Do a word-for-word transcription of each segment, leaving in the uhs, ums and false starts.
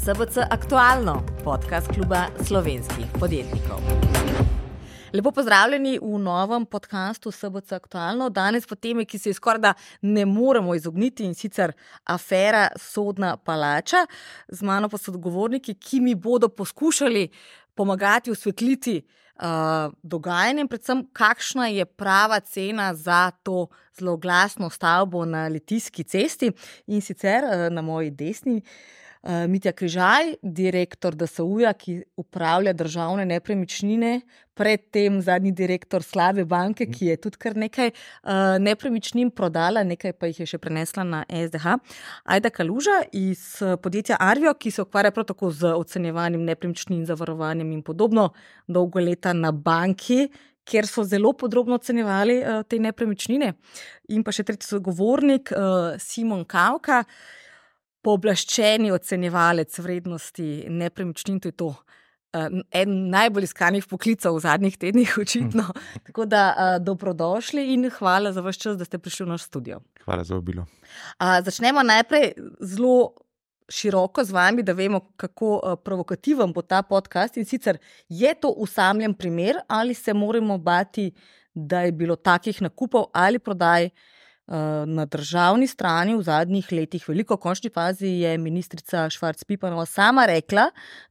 S B C Aktualno, podcast kluba slovenskih podjetnikov. Lepo pozdravljeni v novem podcastu S B C Aktualno. Danes po temi, ki se je skoraj da ne moremo izogniti, in sicer afera Sodna palača. Z mano pa so odgovorniki, ki mi bodo poskušali pomagati osvetliti uh, dogajanje, predvsem kakšna je prava cena za to zloglasno stavbo na Litijski cesti. In sicer uh, na moji desni uh, Mitja Križaj, direktor D S U-ja, ki upravlja državne nepremičnine, predtem zadnji direktor slabe banke, ki je tudi kar nekaj uh, nepremičnin prodala, nekaj pa jih je še prenesla na S D H. Ajda Kaluža iz podjetja Arvio, ki se ukvarja prav tako z ocenjevanjem nepremičnin, zavarovanjem in podobno, dolgo leta na banki, kjer so zelo podrobno ocenjevali uh, te nepremičnine. In pa še tretji sogovornik, uh, Simon Kavka, pooblaščeni ocenjevalec vrednosti nepremičnin, to je to en najbolj iskanih poklicev v zadnjih tednih, očitno. Tako da uh, dobrodošli in hvala za vaš čas, da ste prišli v naš studio. Hvala za vabilo. Uh, začnemo najprej zelo široko z vami, da vemo, kako uh, provokativen bo ta podcast. In sicer, je to usamljen primer ali se moramo bati, da je bilo takih nakupov ali prodaj na državni strani v zadnjih letih veliko. V končni fazi je ministrica Švarc Pipanova sama rekla,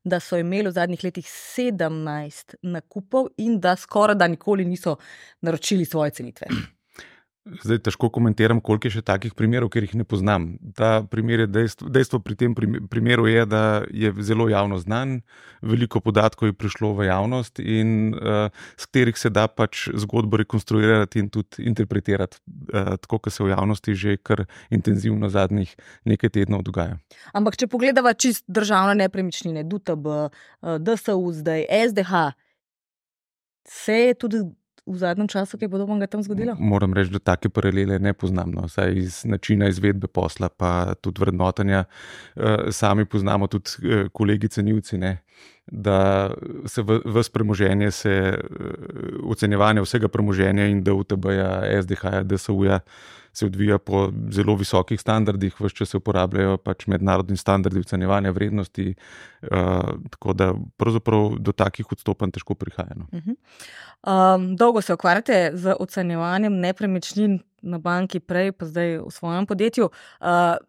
da so imeli v zadnjih letih sedemnajst nakupov in da skoraj da nikoli niso naročili svoje cenitve. Zdaj težko komentiram, koliko je še takih primerov, ker jih ne poznam. Ta primer je dejstvo, dejstvo pri tem primeru je, da je zelo javno znan, veliko podatkov je prišlo v javnost in uh, s katerih se da pač zgodbo rekonstruirati in tudi interpretirati, uh, tako kot se v javnosti že kar intenzivno zadnjih nekaj tednov dogaja. Ampak če pogledava čist državne nepremičnine, D U T B, D S U, zdaj S D H, se je tudi v zadnjem času kaj podobnega tam zgodilo? Moram reči, da take paralele ne poznam, no. Saj iz načina izvedbe posla, pa tudi vrednotenja. Sami poznamo tudi kolegi cenilci, ne, da se ves premoženje, se ocenjevanje vsega premoženja in D U T B-ja, S D H-ja, D S U-ja se odvija po zelo visokih standardih, ves čas se uporabljajo pač mednarodni standardi ocenjevanja vrednosti, uh, tako da pravzaprav do takih odstopanj težko prihaja. No. Uh-huh. Um, dolgo se ukvarjate z ocenjevanjem nepremičnin na banki, prej pa zdaj v svojem podjetju. Uh,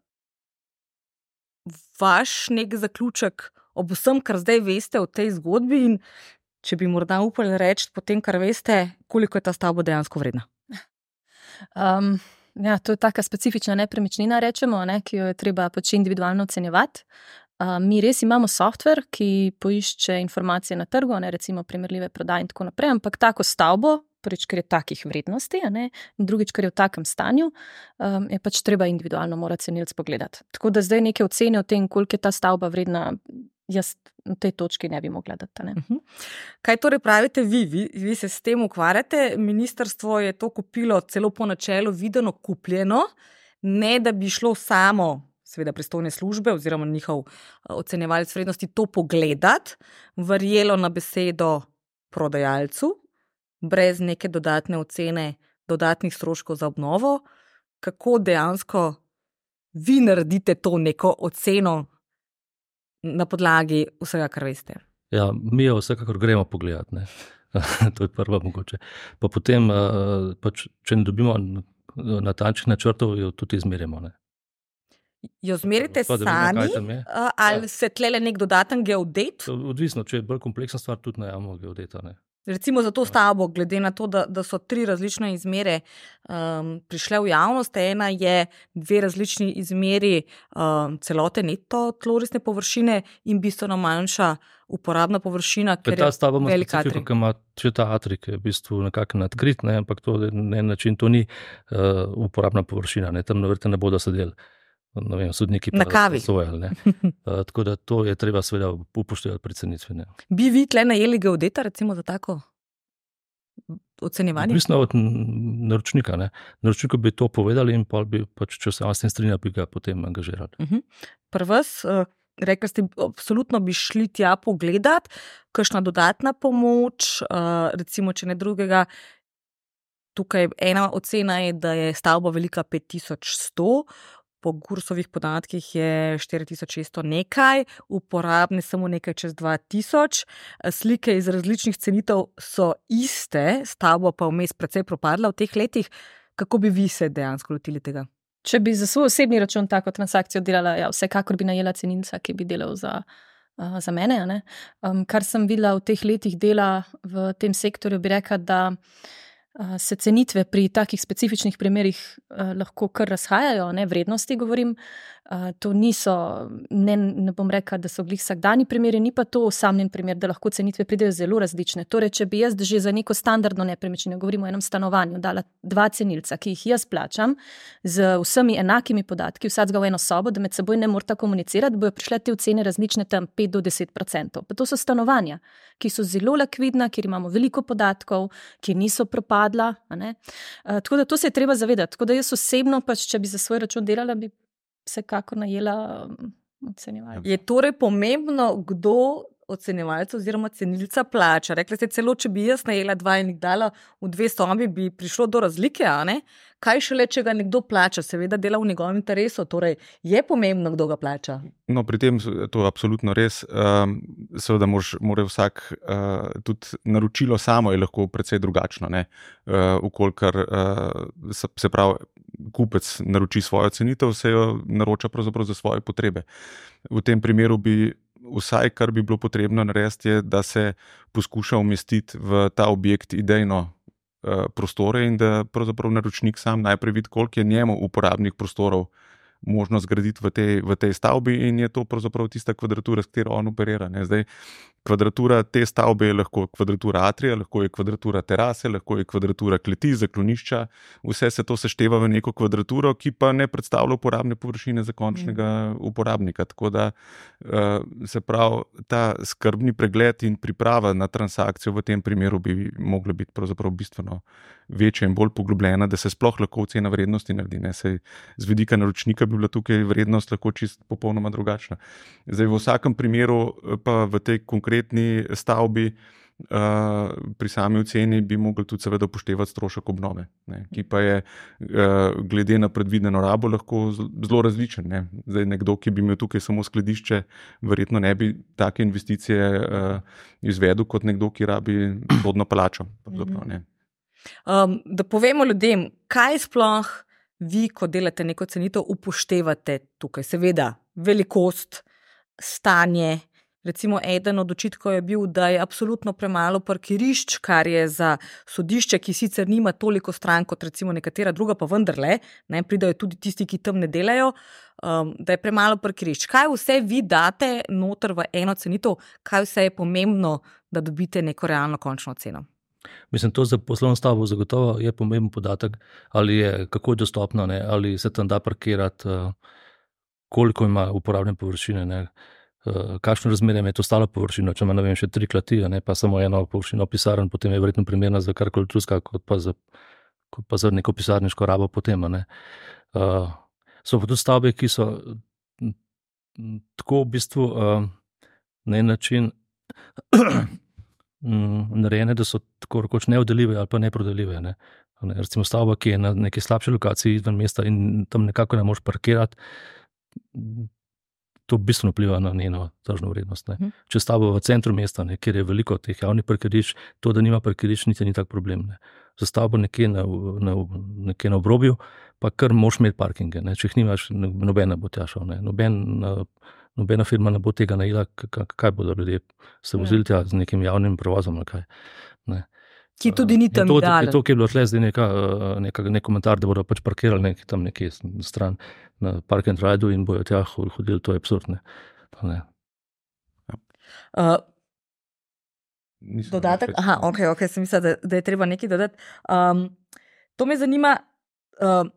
vaš nek zaključek ob vsem, kar zdaj veste o tej zgodbi, in če bi morda upali reči po tem, kar veste, koliko je ta stavba dejansko vredna? Um, ja, to je taka specifična nepremičnina, rečemo, ne, ki jo je treba pač individualno ocenjevati. Uh, mi res imamo softver, ki poišče informacije na trgu, ne, recimo primerljive prodaje in tako naprej, ampak tako stavbo, prvič, ker je takih vrednosti, ne, in drugič, ker je v takem stanju, um, je pač treba individualno mora cenilec pogledati. Tako da zdaj neke ocene o tem, koliko je ta stavba vredna, jaz na tej točki ne bi mogla dati. Ne. Uh-huh. Kaj torej pravite vi? vi? Vi se s tem ukvarjate, ministrstvo je to kupilo celo po načelu videno kupljeno, ne da bi šlo samo, seveda pristojne službe oziroma njihov ocenjevalec vrednosti to pogledati, verjelo na besedo prodajalcu, brez neke dodatne ocene, dodatnih stroškov za obnovo. Kako dejansko vi naredite to neko oceno na podlagi vsega, kar veste? Ja, mi jo vsekakor gremo pogledati, ne. To je prva mogoče. Pa potem, pač, če ne dobimo natančnih načrtov, jo tudi izmerimo, ne. Jo zmerite Pa, sami, vemo, ali ja. Se tlele nek dodaten geodet? Odvisno, če je bolj kompleksna stvar, tudi najamamo geodeta, ne. Recimo za to stavbo, glede na to, da, da so tri različne izmere um, prišle v javnost. Ena je dve različni izmeri um, celote neto tlorisne površine in bistveno manjša uporabna površina, ker ta stavba je velik atrij. Specifiko, ki ima če ta atrij, ki je v bistvu nekako nadkrit, ne, ampak to na en način to ni uh, uporabna površina, ne, tam navrte ne bodo sedeli. Ne vem, sodniki na kavi. Sojali, ne. Uh, tako da to je treba seveda upoštevati pri cenitvi, ne. Bi vi tle najeli geodeta, recimo za tako ocenjevanje? Odvisno od naročnika, ne. Naročniku bi to povedali in pa bi pač, če se vas ne strinja, bi ga potem angažirali. Uh-huh. Pri vas, uh, rekli ste, absolutno bi šli tja pogledati, kakšna dodatna pomoč, uh, recimo, če ne drugega. Tukaj ena ocena je, da je stavba velika pet tisoč sto, po Gursovih podatkih je štiri tisoč šeststo nekaj, uporabne samo nekaj čez dva tisoč. Slike iz različnih cenitev so iste, stavba pa vmes precej propadla v teh letih. Kako bi vi se dejansko lotili tega? Če bi za svoj osebni račun tako transakcijo delala, ja, vsekakor bi najela cenilca, ki bi delal za, uh, za mene. Ne? Um, kar sem videla v teh letih dela v tem sektorju, bi rekla, da uh, se cenitve pri takih specifičnih primerih uh, lahko kar razhajajo, ne? Vrednosti govorim. Uh, to niso, ne, ne bom rekla, da so glih vsakdani primeri, ni pa to osamljen primer, da lahko cenitve pridejo zelo različne. Torej, če bi jaz že za neko standardno nepremičnino, govorimo o enem stanovanju, dala dva cenilca, ki jih jaz plačam, z vsemi enakimi podatki, vsakega v eno sobo, da med seboj ne morata komunicirati, bojo prišle te ocene različne tam pet do deset procentov. Pa to so stanovanja, ki so zelo likvidna, kjer imamo veliko podatkov, ki niso propadla. A ne? Uh, tako da to se je treba zavedati. Tako da jaz osebno, pač, če bi za svoj račun delala, bi vsekakor najela um, ocenjevalca. Je torej pomembno, kdo ocenjevalca oziroma cenilca plača? Rekli ste celo, če bi jaz najela dva in jih dala v dve sobi, bi prišlo do razlike, a ne? Kaj šele, če ga nekdo plača? Seveda dela v njegovem interesu, torej je pomembno, kdo ga plača. No, pri tem je to absolutno res. Um, seveda mož, mora vsak, uh, tudi naročilo samo je lahko precej drugačno, ne? Uh, ukolikor uh, se, se pravi, kupec naroči svojo cenitev, se jo naroča pravzaprav za svoje potrebe. V tem primeru bi vsaj, kar bi bilo potrebno narediti, je, da se poskuša umestiti v ta objekt idejno uh, prostore in da pravzaprav naročnik sam najprej vidi, koliko je njemu uporabnih prostorov možno zgraditi v tej, v tej stavbi in je to pravzaprav tista kvadratura, s katero on operira. Ne? Zdaj, kvadratura te stavbe je lahko kvadratura atrija, lahko je kvadratura terase, lahko je kvadratura kleti, zaklonišča, vse se to sešteva v neko kvadraturo, ki pa ne predstavlja uporabne površine za končnega uporabnika. Tako da se pravi, ta skrbni pregled in priprava na transakcijo v tem primeru bi mogla biti pravzaprav bistveno večja in bolj poglobljena, da se sploh lahko ocena vrednosti naredi. Ne? Sej z vidika naročnika bi bila tukaj vrednost lahko čist popolnoma drugačna. Zdaj, v vsakem primeru pa v tej konkretni stavbi uh, pri sami oceni bi mogli tudi seveda upoštevati strošek obnove, ne? Ki pa je uh, glede na predvideno rabo lahko zelo različen. Ne? Zdaj, nekdo, ki bi imel tukaj samo skladišče, verjetno ne bi take investicije uh, izvedel kot nekdo, ki rabi sodno palačo. Ne? Um, da povemo ljudem, kaj sploh vi, ko delate neko cenitev, upoštevate tukaj. Seveda, velikost, stanje. Recimo, eden od očitkov je bil, da je absolutno premalo parkirišč, kar je za sodišče, ki sicer nima toliko stran kot recimo nekatera druga, pa vendarle, ne, pridajo tudi tisti, ki tam ne delajo, um, da je premalo parkirišč. Kaj vse vi date noter v eno cenitev, kaj vse je pomembno, da dobite neko realno končno ceno? Mislim, to za poslovno stavbo zagotovo je pomemben podatek, ali je, kako je dostopno, ne, ali se tam da parkirati, koliko ima uporabne površine, ne, kakšno razmerje je to stalo površino, če ima, ne vem, še tri klati, ne, pa samo eno površino pisarn, potem je verjetno primerna za karkoli drugega, kot pa za, kot pa za neko pisarniško rabo potem. Ne. Uh, so pa tudi stavbe, ki so tako v bistvu uh, na en način narejene, da so tako rekoč neoddeljive ali pa neprodeljive. Ne. Ne, recimo stavba, ki je na neki slabši lokaciji izven mesta in tam nekako ne moreš parkirati, to bistveno vpliva na njeno tržno vrednost. Ne. Če stavba v centru mesta, ne, kjer je veliko teh javnih parkirišč, to, da nima parkirišč, niti ni tak problem. Ne. Za stavbo nekje na, na, nekje na obrobju, pa kar moraš imeti parkinge. Ne. Če jih nimaš, nobena bo tja šel. Ne. Noben, nobena firma ne bo tega najela, kaj bodo ljudje se vozili tja z nekim javnim prevozom. Ne, kaj. Ne. Ki tudi ni tam idealen. To, ki je bilo tle zdaj neka, neka, nek komentar, da bodo pač parkirali nek, tam nekje stran na park and ride in bojo tja hodili, to je absurd. Ne. Ne. Uh, dodatek? Aha, ok, ok, sem mislila, da, da je treba nekaj dodati. Um, to me zanima, uh,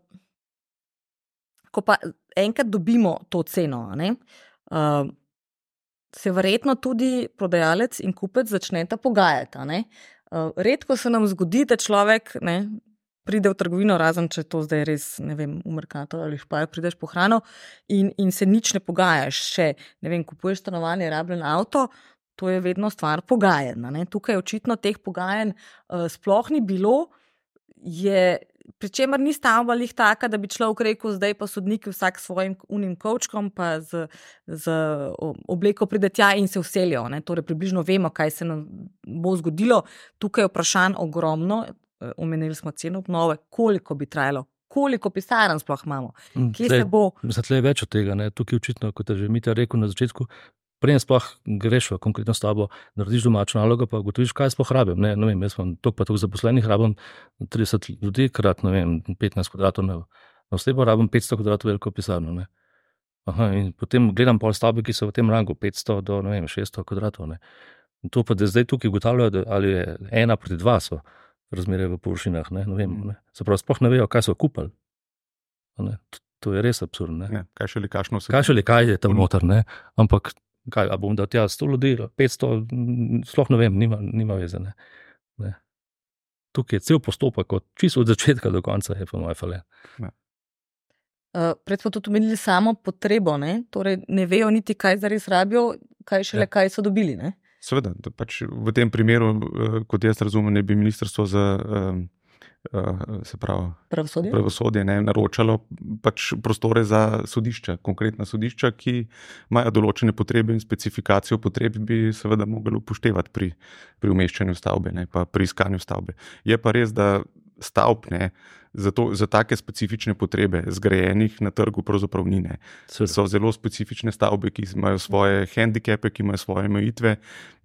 ko pa enkrat dobimo to ceno, ne, uh, se verjetno tudi prodajalec in kupec začneta pogajati, ne. Uh, redko se nam zgodi, da človek, ne, pride v trgovino, razen če to zdaj res, ne vem, v Mercator ali Špajer, prideš po hrano in, in se nič ne pogajaš. Še, ne vem, kupuješ stanovanje, rabljen avto, to je vedno stvar pogajanj. Ne. Tukaj očitno teh pogajanj uh, sploh ni bilo, je pri čemer ni stavba lih taka, da bi človek rekel, zdaj pa sodniki vsak s svojim unim kovčkom, pa z, z obleko pride tja in se vselijo. Ne? Torej, približno vemo, kaj se nam bo zgodilo. Tukaj je vprašanj ogromno, omenili smo ceno obnove, koliko bi trajalo, koliko pisarn sploh imamo, kje Tlej, se bo... Zato je več od tega, ne? Tukaj očitno, kot je že Mitja rekel na začetku, preden sploh greš v konkretno stavbo, narediš domačo nalogo, pa ugotoviš, kaj sploh rabim. Ne, ne vem, jaz imam toliko pa toliko zaposlenih, rabim trideset ljudi, krat, ne vem, petnajst kvadratov na, na osebo, rabim petsto kvadratov veliko pisarno. Ne. Aha, in potem gledam pol stavbe, ki so v tem rangu, petsto do, ne vem, šeststo kvadratov. Ne. In to pa, da zdaj tukaj ugotavljajo, ali je ena proti dva so razmere v površinah, ne, ne vem. Ne. Se pravi, sploh ne vejo, kaj so kupili. Ne. To, to je res absurdno. Ja, kaj še li kakšno se... Kaj še li kaj je tam noter, ne, ampak kaj, a bom dal tja sto ljudi, petsto, sploh ne vem, nima, nima veze. Ne. Ne. Tukaj je cel postopek, od, čisto od začetka do konca je pa moj falen. Ja. Uh, pred smo tudi omenili samo potrebo, ne? Torej ne vejo niti, kaj zares rabijo, kaj šele, ja. Kaj so dobili. Ne? Seveda, pač v tem primeru, kot jaz razumem, ne bi ministrstvo za um, Uh, se pravi, pravosodje, pravosodje ne, naročalo pač prostore za sodišča, konkretna sodišča, ki imajo določene potrebe in specifikacijo potreb bi seveda mogli upoštevati pri, pri umeščanju stavbe, ne, pa pri iskanju stavbe. Je pa res, da stavb ne, za, to, za take specifične potrebe zgrajenih na trgu pravzaprav ni. Ne. So zelo specifične stavbe, ki imajo svoje hendikepe, ki imajo svoje omejitve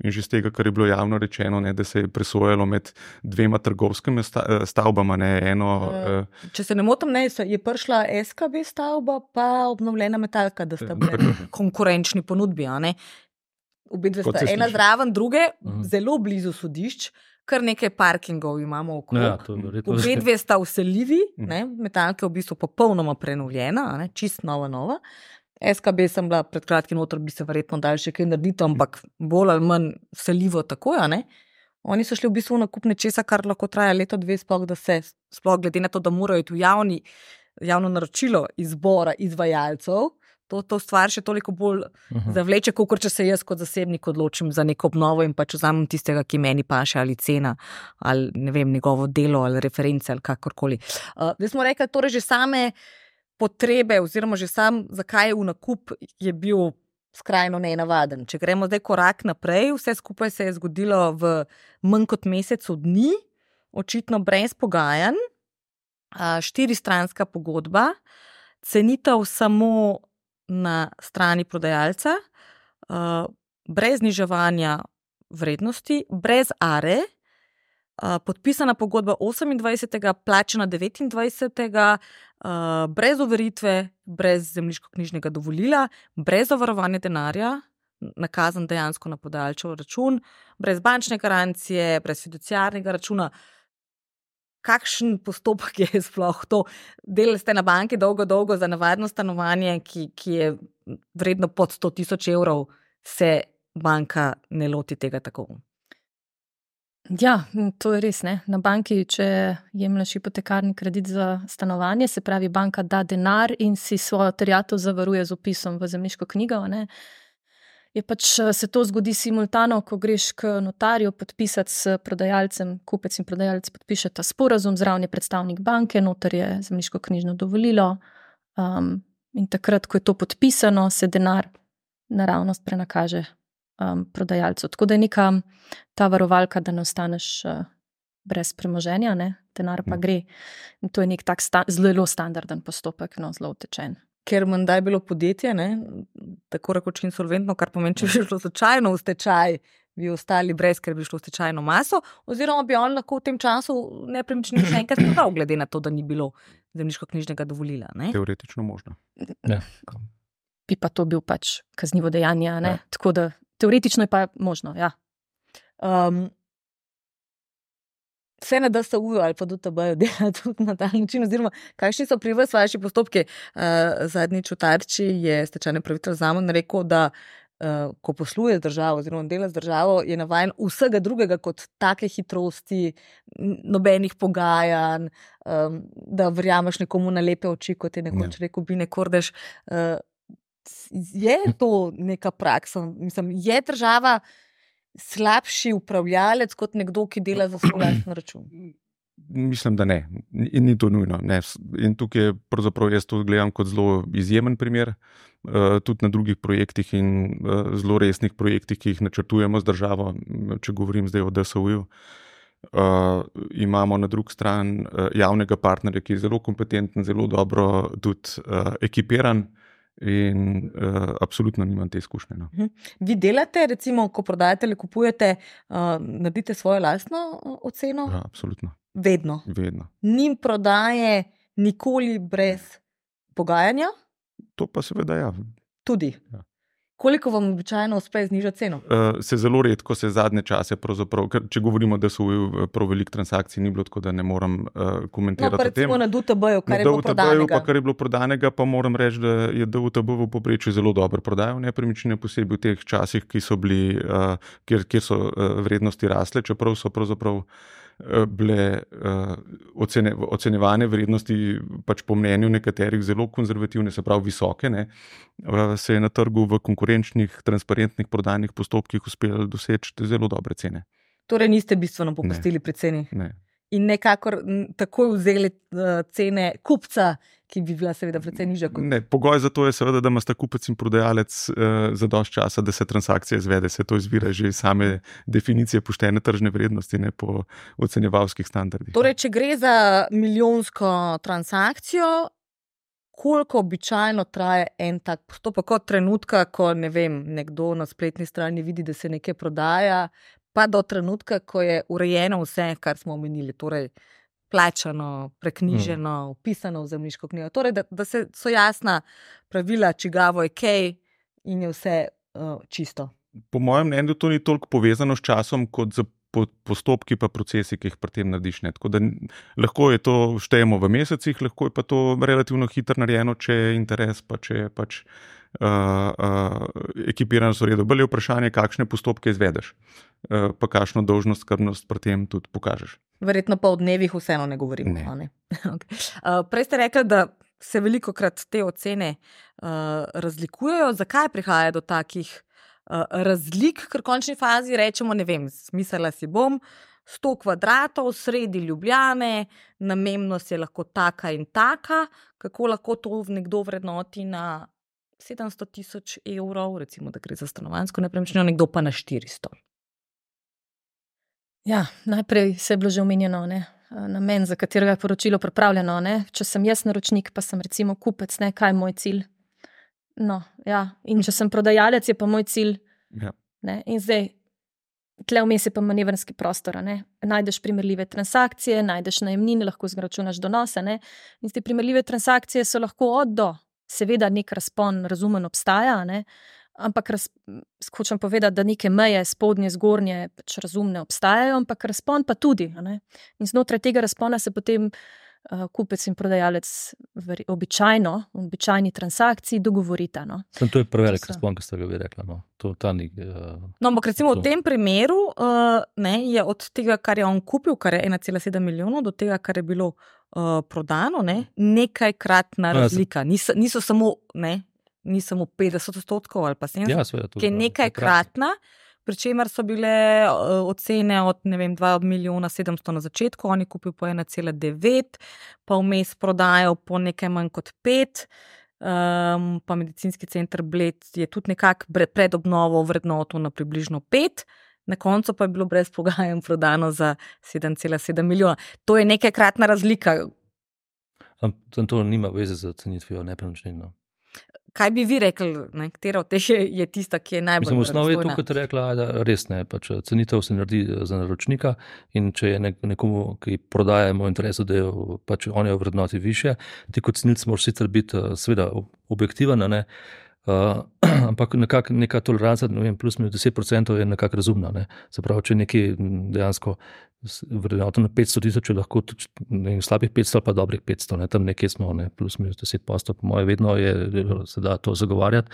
in že z tega, kar je bilo javno rečeno, ne, da se je presojalo med dvema trgovskimi stavbama. Ne, eno, uh, Če se ne motim, ne, je prišla S K B stavba pa obnovljena Metalka, da sta bili konkurenčni ponudbi. Obe dve sta ena zraven druge, uh-huh. Zelo blizu sodišč, kar nekaj parkingov imamo okrog. Ja, obe dve sta vseljivi, ne, Metalka je v bistvu popolnoma prenovljena, ne, čist nova nova. S K B sem bila pred kratkim noter, bi se verjetno dal še kaj narediti, ampak bolj ali manj vseljivo tako, ne. Oni so šli v bistvu v nakup nečesa, kar lahko traja leto, dve, sploh, da se, sploh glede na to, da morajo iti v javni, javno naročilo izbora izvajalcev, to, to stvar še toliko bolj uh-huh. zavleče, kot če se jaz kot zasebnik odločim za neko obnovo in pač vzamem tistega, ki meni paše, ali cena, ali ne vem, njegovo delo, ali reference, ali kakorkoli. Uh, zdaj smo rekli, torej že same potrebe, oziroma že sam, zakaj je v nakup, je bil skrajno nenavaden. Če gremo zdaj korak naprej, vse skupaj se je zgodilo v manj kot mesecu dni, očitno brez pogajanj, štiristranska pogodba, cenitev samo na strani prodajalca, brez zniževanja vrednosti, brez are, podpisana pogodba osemindvajsetega, plačana devetindvajsetega, brez overitve, brez zemljiškoknjižnega dovolila, brez zavarovanja denarja, nakazan dejansko na podajalčev račun, brez bančne garancije, brez fiduciarnega računa. Kakšen postopek je sploh to? Delali ste na banki dolgo, dolgo za navadno stanovanje, ki, ki je vredno pod sto tisoč evrov, se banka ne loti tega tako? Ja, to je res. Ne? Na banki, če jemlješ hipotekarni kredit za stanovanje, se pravi, banka da denar in si svojo terjatev zavaruje z opisom v zemljiško knjigo. Ne? Je pač se to zgodi simultano, ko greš k notarju podpisati s prodajalcem, kupec in prodajalec podpišeta sporazum, zraven je predstavnik banke, notar je zemljiško knjižno dovolilo um, in takrat, ko je to podpisano, se denar naravnost prenakaže um, prodajalcu. Tako da je neka ta varovalka, da ne ostaneš uh, brez premoženja, ne? Denar pa gre. In to je nek tak sta- zelo standarden postopek, no, zelo utečen. Ker menda je bilo podjetje, ne, tako rekoč insolventno, kar pomeni, če bi šlo slučajno v stečaj, bi ostali brez, ker bi šlo v stečajno maso, oziroma bi on lahko v tem času nepremičnino še enkrat prodal, glede na to, da ni bilo zemljiškoknjižnega dovolila. Ne. Teoretično možno. Ja. Bi pa to bil pač kaznivo dejanje, ne? Ja. Tako da teoretično je pa možno, ja. Um, Vse na D S U ali pa D T B-ju dela tudi na ta način, oziroma kakšni so pri vas vaši postopki? Uh, zadnjič v Tarči je stečajni upravitelj Zaman rekel, da uh, ko posluje z državo oziroma dela z državo, je navajen vsega drugega kot take hitrosti, nobenih pogajanj, um, da verjameš nekomu na lepe oči, kot je nekoč rekel Bine Kordež. Uh, je to neka praksa? Mislim, je država slabši upravljalec kot nekdo, ki dela za svoj lasten račun? Mislim, da ne. In ni to nujno. Ne. In tukaj pravzaprav jaz to gledam kot zelo izjemen primer, uh, tudi na drugih projektih in uh, zelo resnih projektih, ki jih načrtujemo z državo, če govorim zdaj o D S O-ju. Uh, imamo na drugi strani uh, javnega partnerja, ki je zelo kompetenten, zelo dobro tudi uh, ekipiran in uh, absolutno nimam te izkušnje. No. Vi delate, recimo, ko prodajate ali kupujete, uh, naredite svojo lastno oceno? Ja, absolutno. Vedno. Vedno. Ni prodaje nikoli brez pogajanja? To pa seveda ja. Tudi. Ja. Koliko vam običajno uspe znižati ceno? Uh, se zelo redko, se zadnje čase, ker če govorimo, da so prav veliko transakcij, ni bilo tako, da ne moram uh, komentirati. No, pa recimo na D U T B-ju, kar je bilo prodanega. Pa kar je bilo prodanega, pa moram reči, da je D U T B v povprečju zelo dobro prodajal nepremičnine, posebej v teh časih, ki so bili, uh, kjer, kjer so uh, vrednosti rasle, čeprav so pravzaprav bile uh, ocene, ocenjevane vrednosti pač po mnenju nekaterih zelo konzervativne, se pravi visoke, ne, uh, se je na trgu v konkurenčnih, transparentnih prodajnih postopkih uspelo doseči zelo dobre cene. Torej niste bistveno popustili pri ceni? Ne. In nekakor takoj vzeli uh, cene kupca, ki bi bila seveda precej nižja kot... Ne, pogoj za to je seveda, da ima sta kupec in prodajalec uh, za dosti časa, da se transakcija izvede. Se to izvira že iz same definicije poštene tržne vrednosti, ne po ocenjevalskih standardih. Torej, če gre za milijonsko transakcijo, koliko običajno traja en tak postopek od trenutka, ko ne vem, nekdo na spletni strani vidi, da se nekaj prodaja, pa do trenutka, ko je urejeno vse, kar smo omenili, torej plačano, preknjiženo, hmm. upisano v zemljiško knjigo. Torej, da, da se, so jasna pravila, čigavo je kaj in je vse uh, čisto. Po mojem mnenju to ni toliko povezano s časom, kot z postopki pa procesi, ki jih pri tem narediš. Ne. Tako da lahko je to štejemo v mesecih, lahko je pa to relativno hitro narejeno, če je interes, pa če je pač Uh, uh, ekipiranost v redu. Bolje je vprašanje, kakšne postopke izvedeš, uh, pa kakšno dolžnost, skrbnost pri tem tudi pokažeš. Verjetno pa o dnevih vseeno ne govorimo. Ne. Ne? Okay. Uh, prej ste rekli, da se veliko krat te ocene uh, razlikujejo. Zakaj prihaja do takih uh, razlik, ker v končni fazi rečemo, ne vem, smiselila si bom, sto kvadratov, sredi Ljubljane, namembnost je lahko taka in taka, kako lahko to nekdo vrednoti na sedemsto tisoč evrov, recimo, da gre za stanovanjsko nepremičnino, nekdo pa na štiristo. Ja, najprej se je bilo že omenjeno, ne, namen, za katerega je poročilo pripravljeno, ne. Če sem jaz naročnik, pa sem recimo kupec, ne, kaj je moj cilj. No, ja, in če sem prodajalec, je pa moj cilj. Ja. Ne, in zdaj, tle vmes je pa manevrski prostor, ne. Najdeš primerljive transakcije, najdeš najemnine, lahko zračunaš donose, ne. In te primerljive transakcije so lahko od do. Seveda nek razpon razumen obstaja, ne? Ampak raz, hočem povedati, da neke meje spodnje, zgornje pač razumne obstajajo, ampak razpon pa tudi. Ne? In znotraj tega razpona se potem uh, kupec in prodajalec veri, običajno, v običajni transakciji dogovorita. No? Sem, to je prevelik razpon, ki ste ga vi rekla. No? To, ta ni, uh, no, ampak recimo to. V tem primeru uh, ne, je od tega, kar je on kupil, kar je ena cela sedem milijonov, do tega, kar je bilo Uh, prodano, ne, nekajkratna razlika. Niso, niso samo, ne, ni samo petdeset odstotkov ali pa sedemdeset, ja, seveda, ki je nekajkratna, pri čemer so bile uh, ocene od, ne vem, dva milijona sedemsto na začetku, oni kupil po ena cela devet, pa vmes prodajo po nekaj manj kot pet, um, pa medicinski center Bled je tudi nekako pred obnovo vrednoto na približno pet, na koncu pa je bilo brez pogajanj prodano za sedem cela sedem milijona. To je nekajkratna razlika. Am to nima veze z cenitvijo nepremičnin. No. Kaj bi vi rekli, ne, katera od teh je, je tista, ki je najbolj razstojna? Mislim, v osnovi je to, razstojna? kot je rekla, da res ne. Pač cenitev se naredi za naročnika in če je nekomu, ki prodaja v interesu, da je pač on je v vrednoti više, ti kot cenilec moraš sicer biti seveda objektiven, ne, Uh, ampak nekak, neka toleranca, ne vem, plus minus deset procentov je nekako razumna. Ne. Se pravi, če nekaj dejansko vrednoto na petsto tisoč, je lahko tudi ne, slabih petsto ali pa dobrih petsto, ne. Tam nekje smo, ne, plus minus deset procentov, po moje vedno je, se da to zagovarjati,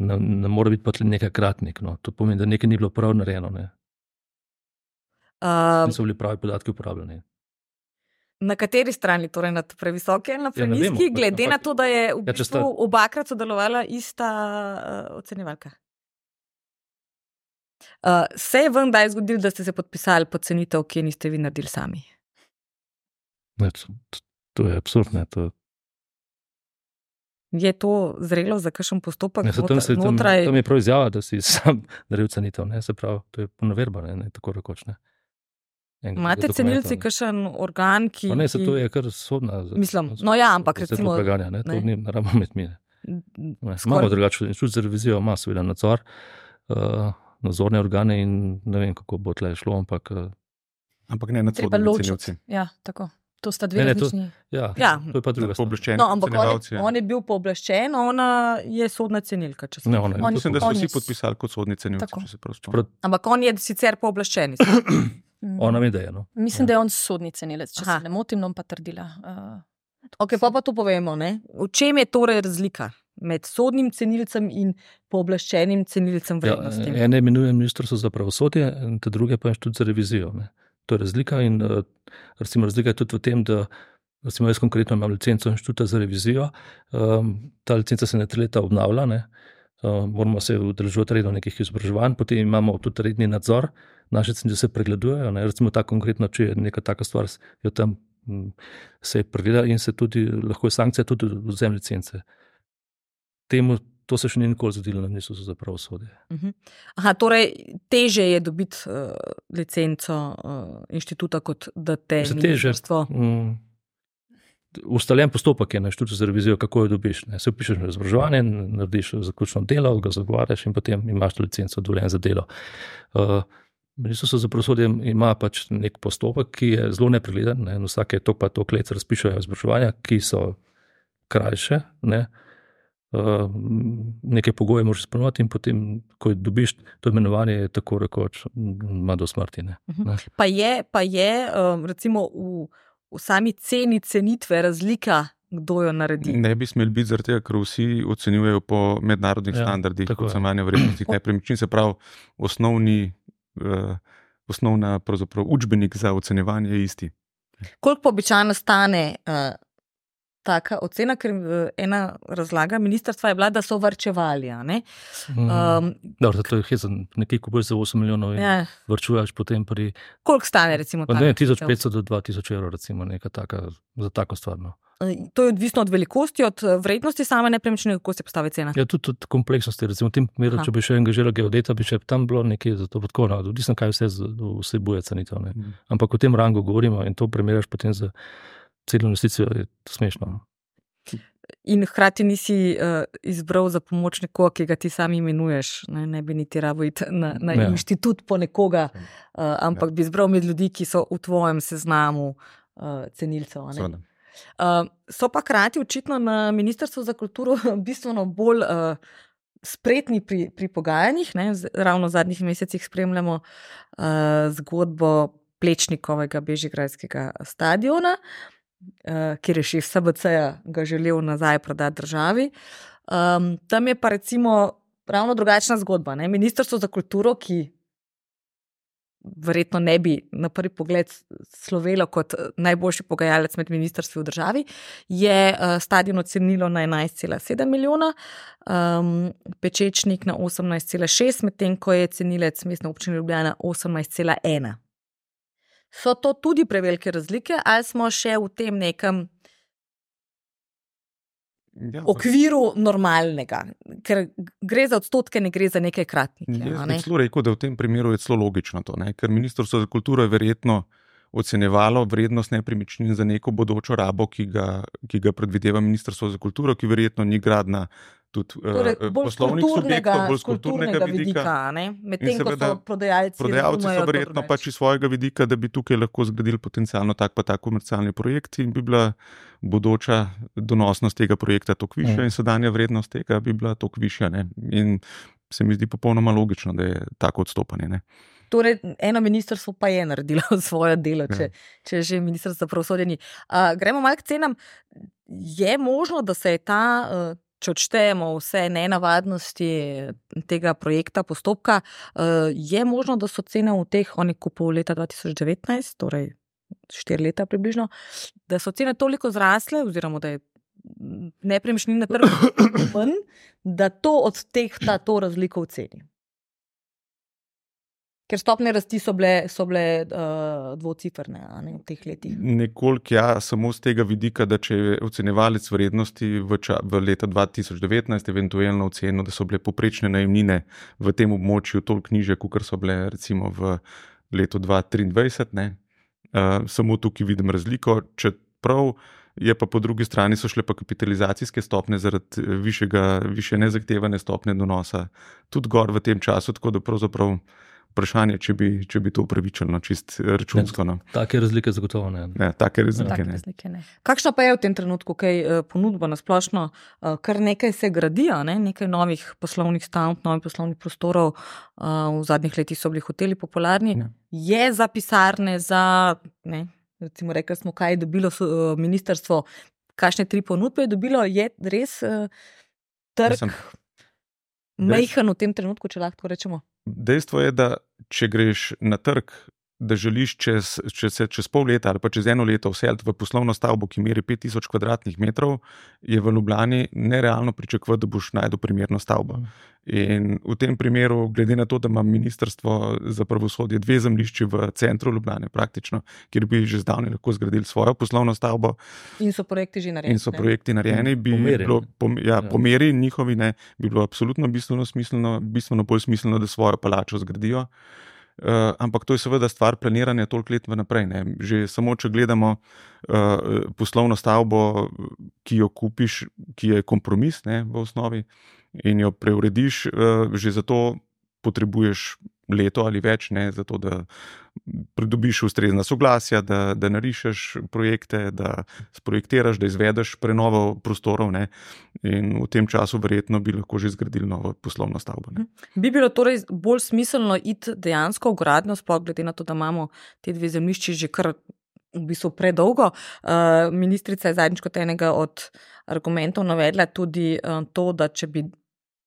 ne, ne mora biti pa tle nekaj kratnik. No. To pomeni, da nekaj ni bilo prav narejeno. Ne. Um, Niso bili pravi podatki uporabljeni. Na kateri strani, torej na previsoki ali na Ja, ne prenizki, vemo, glede ampak- na to, da je v Ja, če bistvu sta- obakrat sodelovala ista uh, ocenjevalka? Uh, se je vam kdaj zgodilo, da ste se podpisali pod cenitev, ki je niste vi naredili sami? Ne, to, to je absurdno. To... Je to zrelo za kakšen postopek? Ne, tam, se, tam, notraj... tam je prav izjava, da si sam naredil cenitev. Ne, se pravi, to je ponaverba, ne, ne tako rekoč. Ne. Imate cenilci kakšen organ, ki... Pa ne, se to je kar sodna. Mislim, no ja, ampak recimo... Preganja, ne, to ni naravno med mi. Skor... Imamo drugače, inštitut za revizijo ima seveda nadzor, uh, nadzorne organe in ne vem, kako bo tle šlo, ampak... Uh, ampak ne nad sodnimi cenilci. Ja, tako. To sta dve različni. Ja, ja, to je pa druga stvar. No, ampak on, on je bil pooblaščen, ona je sodna cenilka. Če ne, ona je. On, mislim, da so vsi podpisali kot sodni cenilci, če se prav spomnim. Ampak on je sicer pooblaščen. Ona mi da je, no. Mislim, ja. Da je on sodni cenilec, če Aha. se ne motim, no pa trdila. Uh, ok, pa pa to povemo, ne? V čem je torej razlika med sodnim cenilcem in pooblaščenim cenilcem vrednosti? Ja, ene imenuje ministrstvo za pravosodje, te druge pa inštitut za revizijo, ne. To je razlika in recimo razlika je tudi v tem, da recimo jaz konkretno imam licenco inštituta za revizijo, um, ta licenca se ne tri leta obnavlja, ne, um, moramo se udeleževati redno nekih izobraževanj, potem imamo tudi redni nadzor, naše cenice se pregledujejo, ne, recimo ta konkretno, če je neka taka stvar, jo tam m, se pregleda in se tudi, lahko je sankcija tudi vzem licence. Temu To se še ni nikoli zgodilo na ministrstvu za pravosodje. Uh-huh. Aha, torej teže je dobiti uh, licenco uh, inštituta, kot da te ministrstvo. Um, ustaljen postopek je na inštitutu za revizijo, kako jo dobiš. Ne? Se upišeš na izobraževanje, narediš zaključno delo, ga zagovarjaš in potem imaš to licenco dovoljen za delo. Uh, ministrstvo za pravosodje ima pač nek postopek, ki je zelo nepregleden. Ne? Vsake tok pa tok let se razpišajo izobraževanja, ki so krajše, ne? Uh, neke pogoje moraš izpolnjevati in potem, ko dobiš to imenovanje, je tako rekoč, ima do smrti. Ne? Uh-huh. Pa je, pa je um, recimo v, v sami ceni cenitve razlika, kdo jo naredi? Ne bi smeli biti zaradi tega, ker vsi ocenjujejo po mednarodnih ja, standardih ocenjevanja vrednosti nepremičnin, se pravi osnovni, uh, osnovna pravzaprav učbenik za ocenjevanje je isti. Koliko pa običajno stane uh, taka ocena, ker ena razlaga ministrstva je bila, da so varčevali. Um, Dobro, to je hezen, nekaj kupuješ za osem milijonov in ja. Varčuješ potem pri... Koliko stane recimo ta? tisoč petsto do dva tisoč evrov recimo, neka taka, za tako stvar. No. To je odvisno od velikosti, od vrednosti same nepremičnine, kako se postavi cena? Ja, tudi od kompleksnosti. Recimo v tem primeru, če bi še angažiral geodeta, bi še tam bilo nekaj za to podkovno. Odvisno, kaj vse vsebuje cenitev. Mm. Ampak o tem rangu govorimo in to primerjaš potem za celo investicijo, je to smešno. In hkrati nisi uh, izbral za pomoč nekoga, ki ga ti sami imenuješ. Ne, ne bi niti rabo iti na, na ja. Inštitut po nekoga, uh, ampak ja. Bi izbral med ljudi, ki so v tvojem seznamu uh, cenilcev. Uh, so pa hkrati očitno na Ministrstvu za kulturo bistveno bolj uh, spretni pri, pri pogajanjih. Ne? Z, ravno v zadnjih mesecih spremljamo uh, zgodbo Plečnikovega bežigrajskega stadiona, Uh, kjer je šef S B C-ja ga želel nazaj prodati državi. Um, tam je pa recimo ravno drugačna zgodba. Ne? Ministrstvo za kulturo, ki verjetno ne bi na prvi pogled slovelo kot najboljši pogajalec med ministrstvi v državi, je uh, stadion ocenilo na enajst cela sedem milijona, um, Pečečnik na osemnajst cela šest, medtem ko je cenilec Mestne občine Ljubljana osemnajst cela ena. So to tudi prevelike razlike, ali smo še v tem nekem ja, okviru normalnega? Ker gre za odstotke, ne gre za nekaj kratnike. Jaz bi celo rekel, da v tem primeru je celo logično to, ne? Ker Ministrstvo za kulturo je verjetno ocenjevalo vrednost nepremičnin za neko bodočo rabo, ki ga, ki ga predvideva Ministrstvo za kulturo, ki verjetno ni gradna tudi torej, uh, poslovnih subjektov, bolj z kulturnega vidika. Medtem, ko so prodajalci prodajalci so verjetno pač iz svojega vidika, da bi tukaj lahko zgradili potencialno tak pa tak komercialni projekt in bi bila bodoča donosnost tega projekta toliko višja mm. in sedanja vrednost tega bi bila toliko višja. Ne? In se mi zdi popolnoma logično, da je tako odstopanje. Ne? Torej, eno ministrstvo pa je naredilo svoje delo, če, ja. če že ministrstvo za pravosodje ni. Uh, gremo malo k cenam. Je možno, da se je ta... Uh, če odštejemo vse nenavadnosti tega projekta, postopka, je možno, da so cene v teh, oni kupov leta dva tisoč devetnajst, torej štiri leta približno, da so cene toliko zrasle, oziroma da je nepremičnin na trgu manj, da to odtehta to razliko v ceni. Ker stopne rasti so bile, so bile uh, dvocifrne ne, v teh letih. Nekoliko ja, samo z tega vidika, da če je ocenjevalec vrednosti v, ča, v leta dva tisoč devetnajst eventualno ocenil, da so bile poprečne najemnine v tem območju toliko nižje, kot so bile recimo v letu dva tisoč triindvajset. Ne. Uh, samo tukaj vidim razliko, čeprav je pa po drugi strani so šle pa kapitalizacijske stopne zaradi višjega, više nezahtevane stopne donosa tudi gor v tem času, tako da pravzaprav vprašanje, če bi, če bi to upravičilo, čist računsko. No. Take razlike zagotovo ne. Ne, take razlike, Take ne. razlike ne. Kakšna pa je v tem trenutku kaj ponudba na splošno? Kar nekaj se gradijo, ne? Nekaj novih poslovnih stavb, novih poslovnih prostorov. V zadnjih letih so bili hoteli popularni. Ne. Je za pisarne, za, ne, recimo rekli smo, kaj je dobilo ministrstvo, kakšne tri ponudbe je dobilo, je res trg Mislim, mejhan v tem trenutku, če lahko rečemo? Dejstvo je, da če greš na trg, da želiš čez, če se čez pol leta ali pa čez eno leto vseliti v poslovno stavbo, ki meri pet tisoč kvadratnih metrov, je v Ljubljani nerealno pričakovati, da boš najdel primerno stavbo. In v tem primeru, glede na to, da ima ministrstvo za pravosodje dve zemljišči v centru Ljubljane praktično, kjer bi že zdavnaj lahko zgradili svojo poslovno stavbo. In so projekti že narejeni. In so projekti narejeni, bi Pomeri, bilo, ne. pom, ja, Ja. po meri njihovi ne, bi bilo absolutno bistveno smiselno, bistveno bolj smiselno, da svojo palačo zgradijo. Uh, ampak to je seveda stvar planiranja toliko let vnaprej. Ne. Že samo, če gledamo uh, poslovno stavbo, ki jo kupiš, ki je kompromis, ne, v osnovi, in jo preurediš, uh, že zato potrebuješ leto ali več, ne, zato da pridobiš ustrezna soglasja, da, da narišeš projekte, da sprojektiraš, da izvedeš prenovo prostorov, ne, in v tem času verjetno bi lahko že zgradili novo poslovno stavbo. Ne. Bi bilo torej bolj smiselno iti dejansko v gradnjo, sploh glede na to, da imamo te dve zemljišči že kar v bistvu predolgo. Uh, ministrica je zadnjič kot enega od argumentov navedla tudi uh, to, da če bi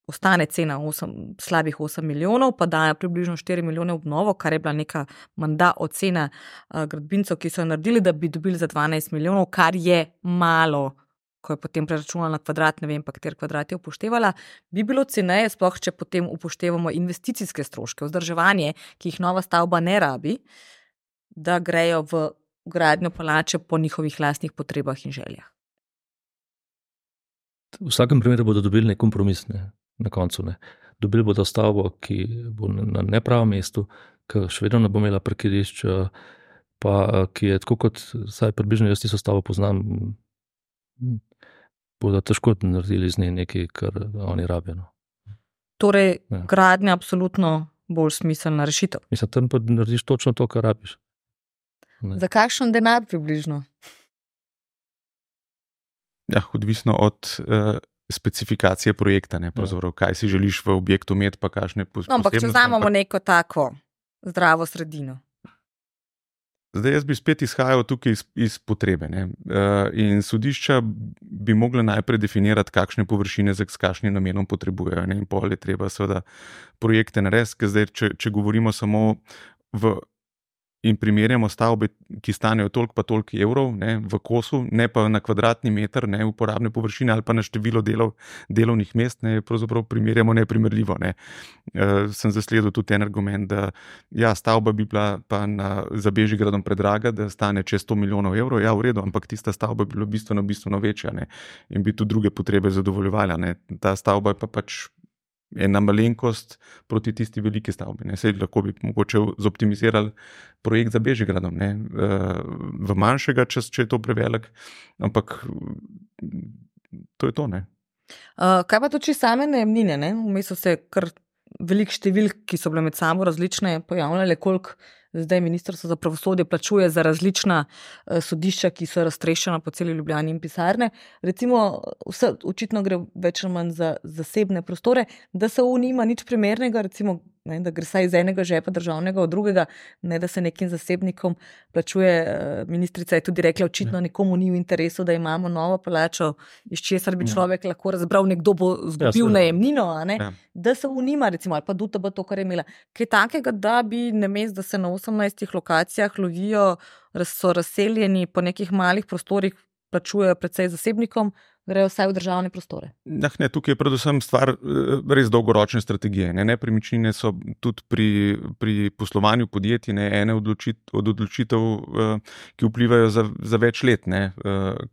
ostane cena osem, slabih osem milijonov, pa dajo približno štiri milijone v obnovo, kar je bila neka menda ocena uh, gradbincev, ki so jo naredili, da bi dobili za dvanajst milijonov, kar je malo, ko je potem preračunala na kvadrat, ne vem pa, kater kvadrat je upoštevala, bi bilo ceneje, sploh če potem upoštevamo investicijske stroške, vzdrževanje, ki jih nova stavba ne rabi, da grejo v gradnjo palače po njihovih lastnih potrebah in željah. V vsakem primeru bodo dobili nek kompromis, ne, na koncu. Ne. Dobili bodo stavbo, ki bo na nepravem mestu, ki še vedno ne bo imela parkirišč, pa ki je tako kot, saj približno jaz tisto stavbo poznam, bodo težko naredili z njej nekaj, kar oni rabijo. No. Torej, Ja. gradnja absolutno bolj smiselna rešitev. Mislim, tam pa narediš točno to, kar rabiš. Ne. Za kakšen denar približno? Ja, odvisno od uh, specifikacije projekta, ne, pravzaprav, kaj si želiš v objektu imeti, pa kakšne posebnosti. No, ampak če vzamemo neko tako zdravo sredino. Zdaj jaz bi spet izhajal tukaj iz, iz potrebe. Ne. Uh, in sodišča bi mogla najprej definirati, kakšne površine z kakšnim namenom potrebujejo. Ne. In pol je treba seveda projekte narediti, ker zdaj, če, če govorimo samo v in primerjamo stavbe, ki stanejo toliko pa toliko evrov, ne, v kosu, ne pa na kvadratni meter, ne, uporabne površine ali pa na število delov, delovnih mest, ne, pravzaprav primerjamo neprimerljivo. Ne. E, sem zasledil tudi en argument, da ja, stavba bi bila pa na, za Bežigradom predraga, da stane čez sto milijonov evrov, ja, v redu, ampak tista stavba bi bila bistveno, bistveno večja, ne, in bi tudi druge potrebe zadovoljevala, ne. Ta stavba je pa pač ena malenkost proti tisti veliki stavbi. Ne. Sej lahko bi mogoče zoptimizirali projekt za Bežigradom, ne. V manjšega, če, če je to prevelik, ampak to je to. Ne. Uh, kaj pa to, če same najemnine? Ne? Vmes so se kar velik številk, ki so bile med sabo različne, pojavljale, koliko zdaj ministrstvo za pravosodje plačuje za različna uh, sodišča, ki so raztreščena po celi Ljubljani in pisarne. Recimo, vse očitno gre več ali manj za zasebne prostore, da se v nima nič primernega, recimo, ne, da gre saj iz enega žepa državnega od drugega, ne da se nekim zasebnikom plačuje. Ministrica je tudi rekla, očitno nekomu ni v interesu, da imamo novo palačo, iz česar bi človek ja. lahko razbral, nekdo bo zgubil ja, najemnino, a ne? Ja. Da se v nima, recimo, ali pa D T B to, kar je imela. Kaj takega, da bi namesto, da se na osemnajstih lokacijah lovijo, so razseljeni po nekih malih prostorih, plačujejo predvsej zasebnikom, grejo vsaj v državne prostore? Nah, ne, tukaj je predvsem stvar res dolgoročne strategije. Ne. Nepremičnine so tudi pri, pri poslovanju podjetij ne, ene odločit, od odločitev, ki vplivajo za, za več let, ne,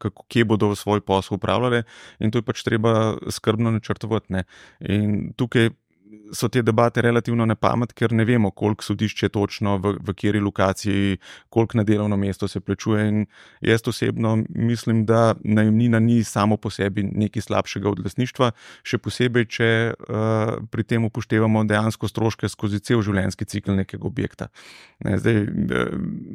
kako, kje bodo svoj posel upravljali, in to je pač treba skrbno načrtovati. Ne. In tukaj so te debate relativno na pamet, ker ne vemo, koliko sodišče točno, v, v kateri lokaciji, koliko na delovno mesto se plačuje. In jaz osebno mislim, da najemnina ni samo po sebi nekaj slabšega od lastništva, še posebej, če uh, pri tem upoštevamo dejansko stroške skozi cel življenjski cikel nekega objekta. Ne, zdaj,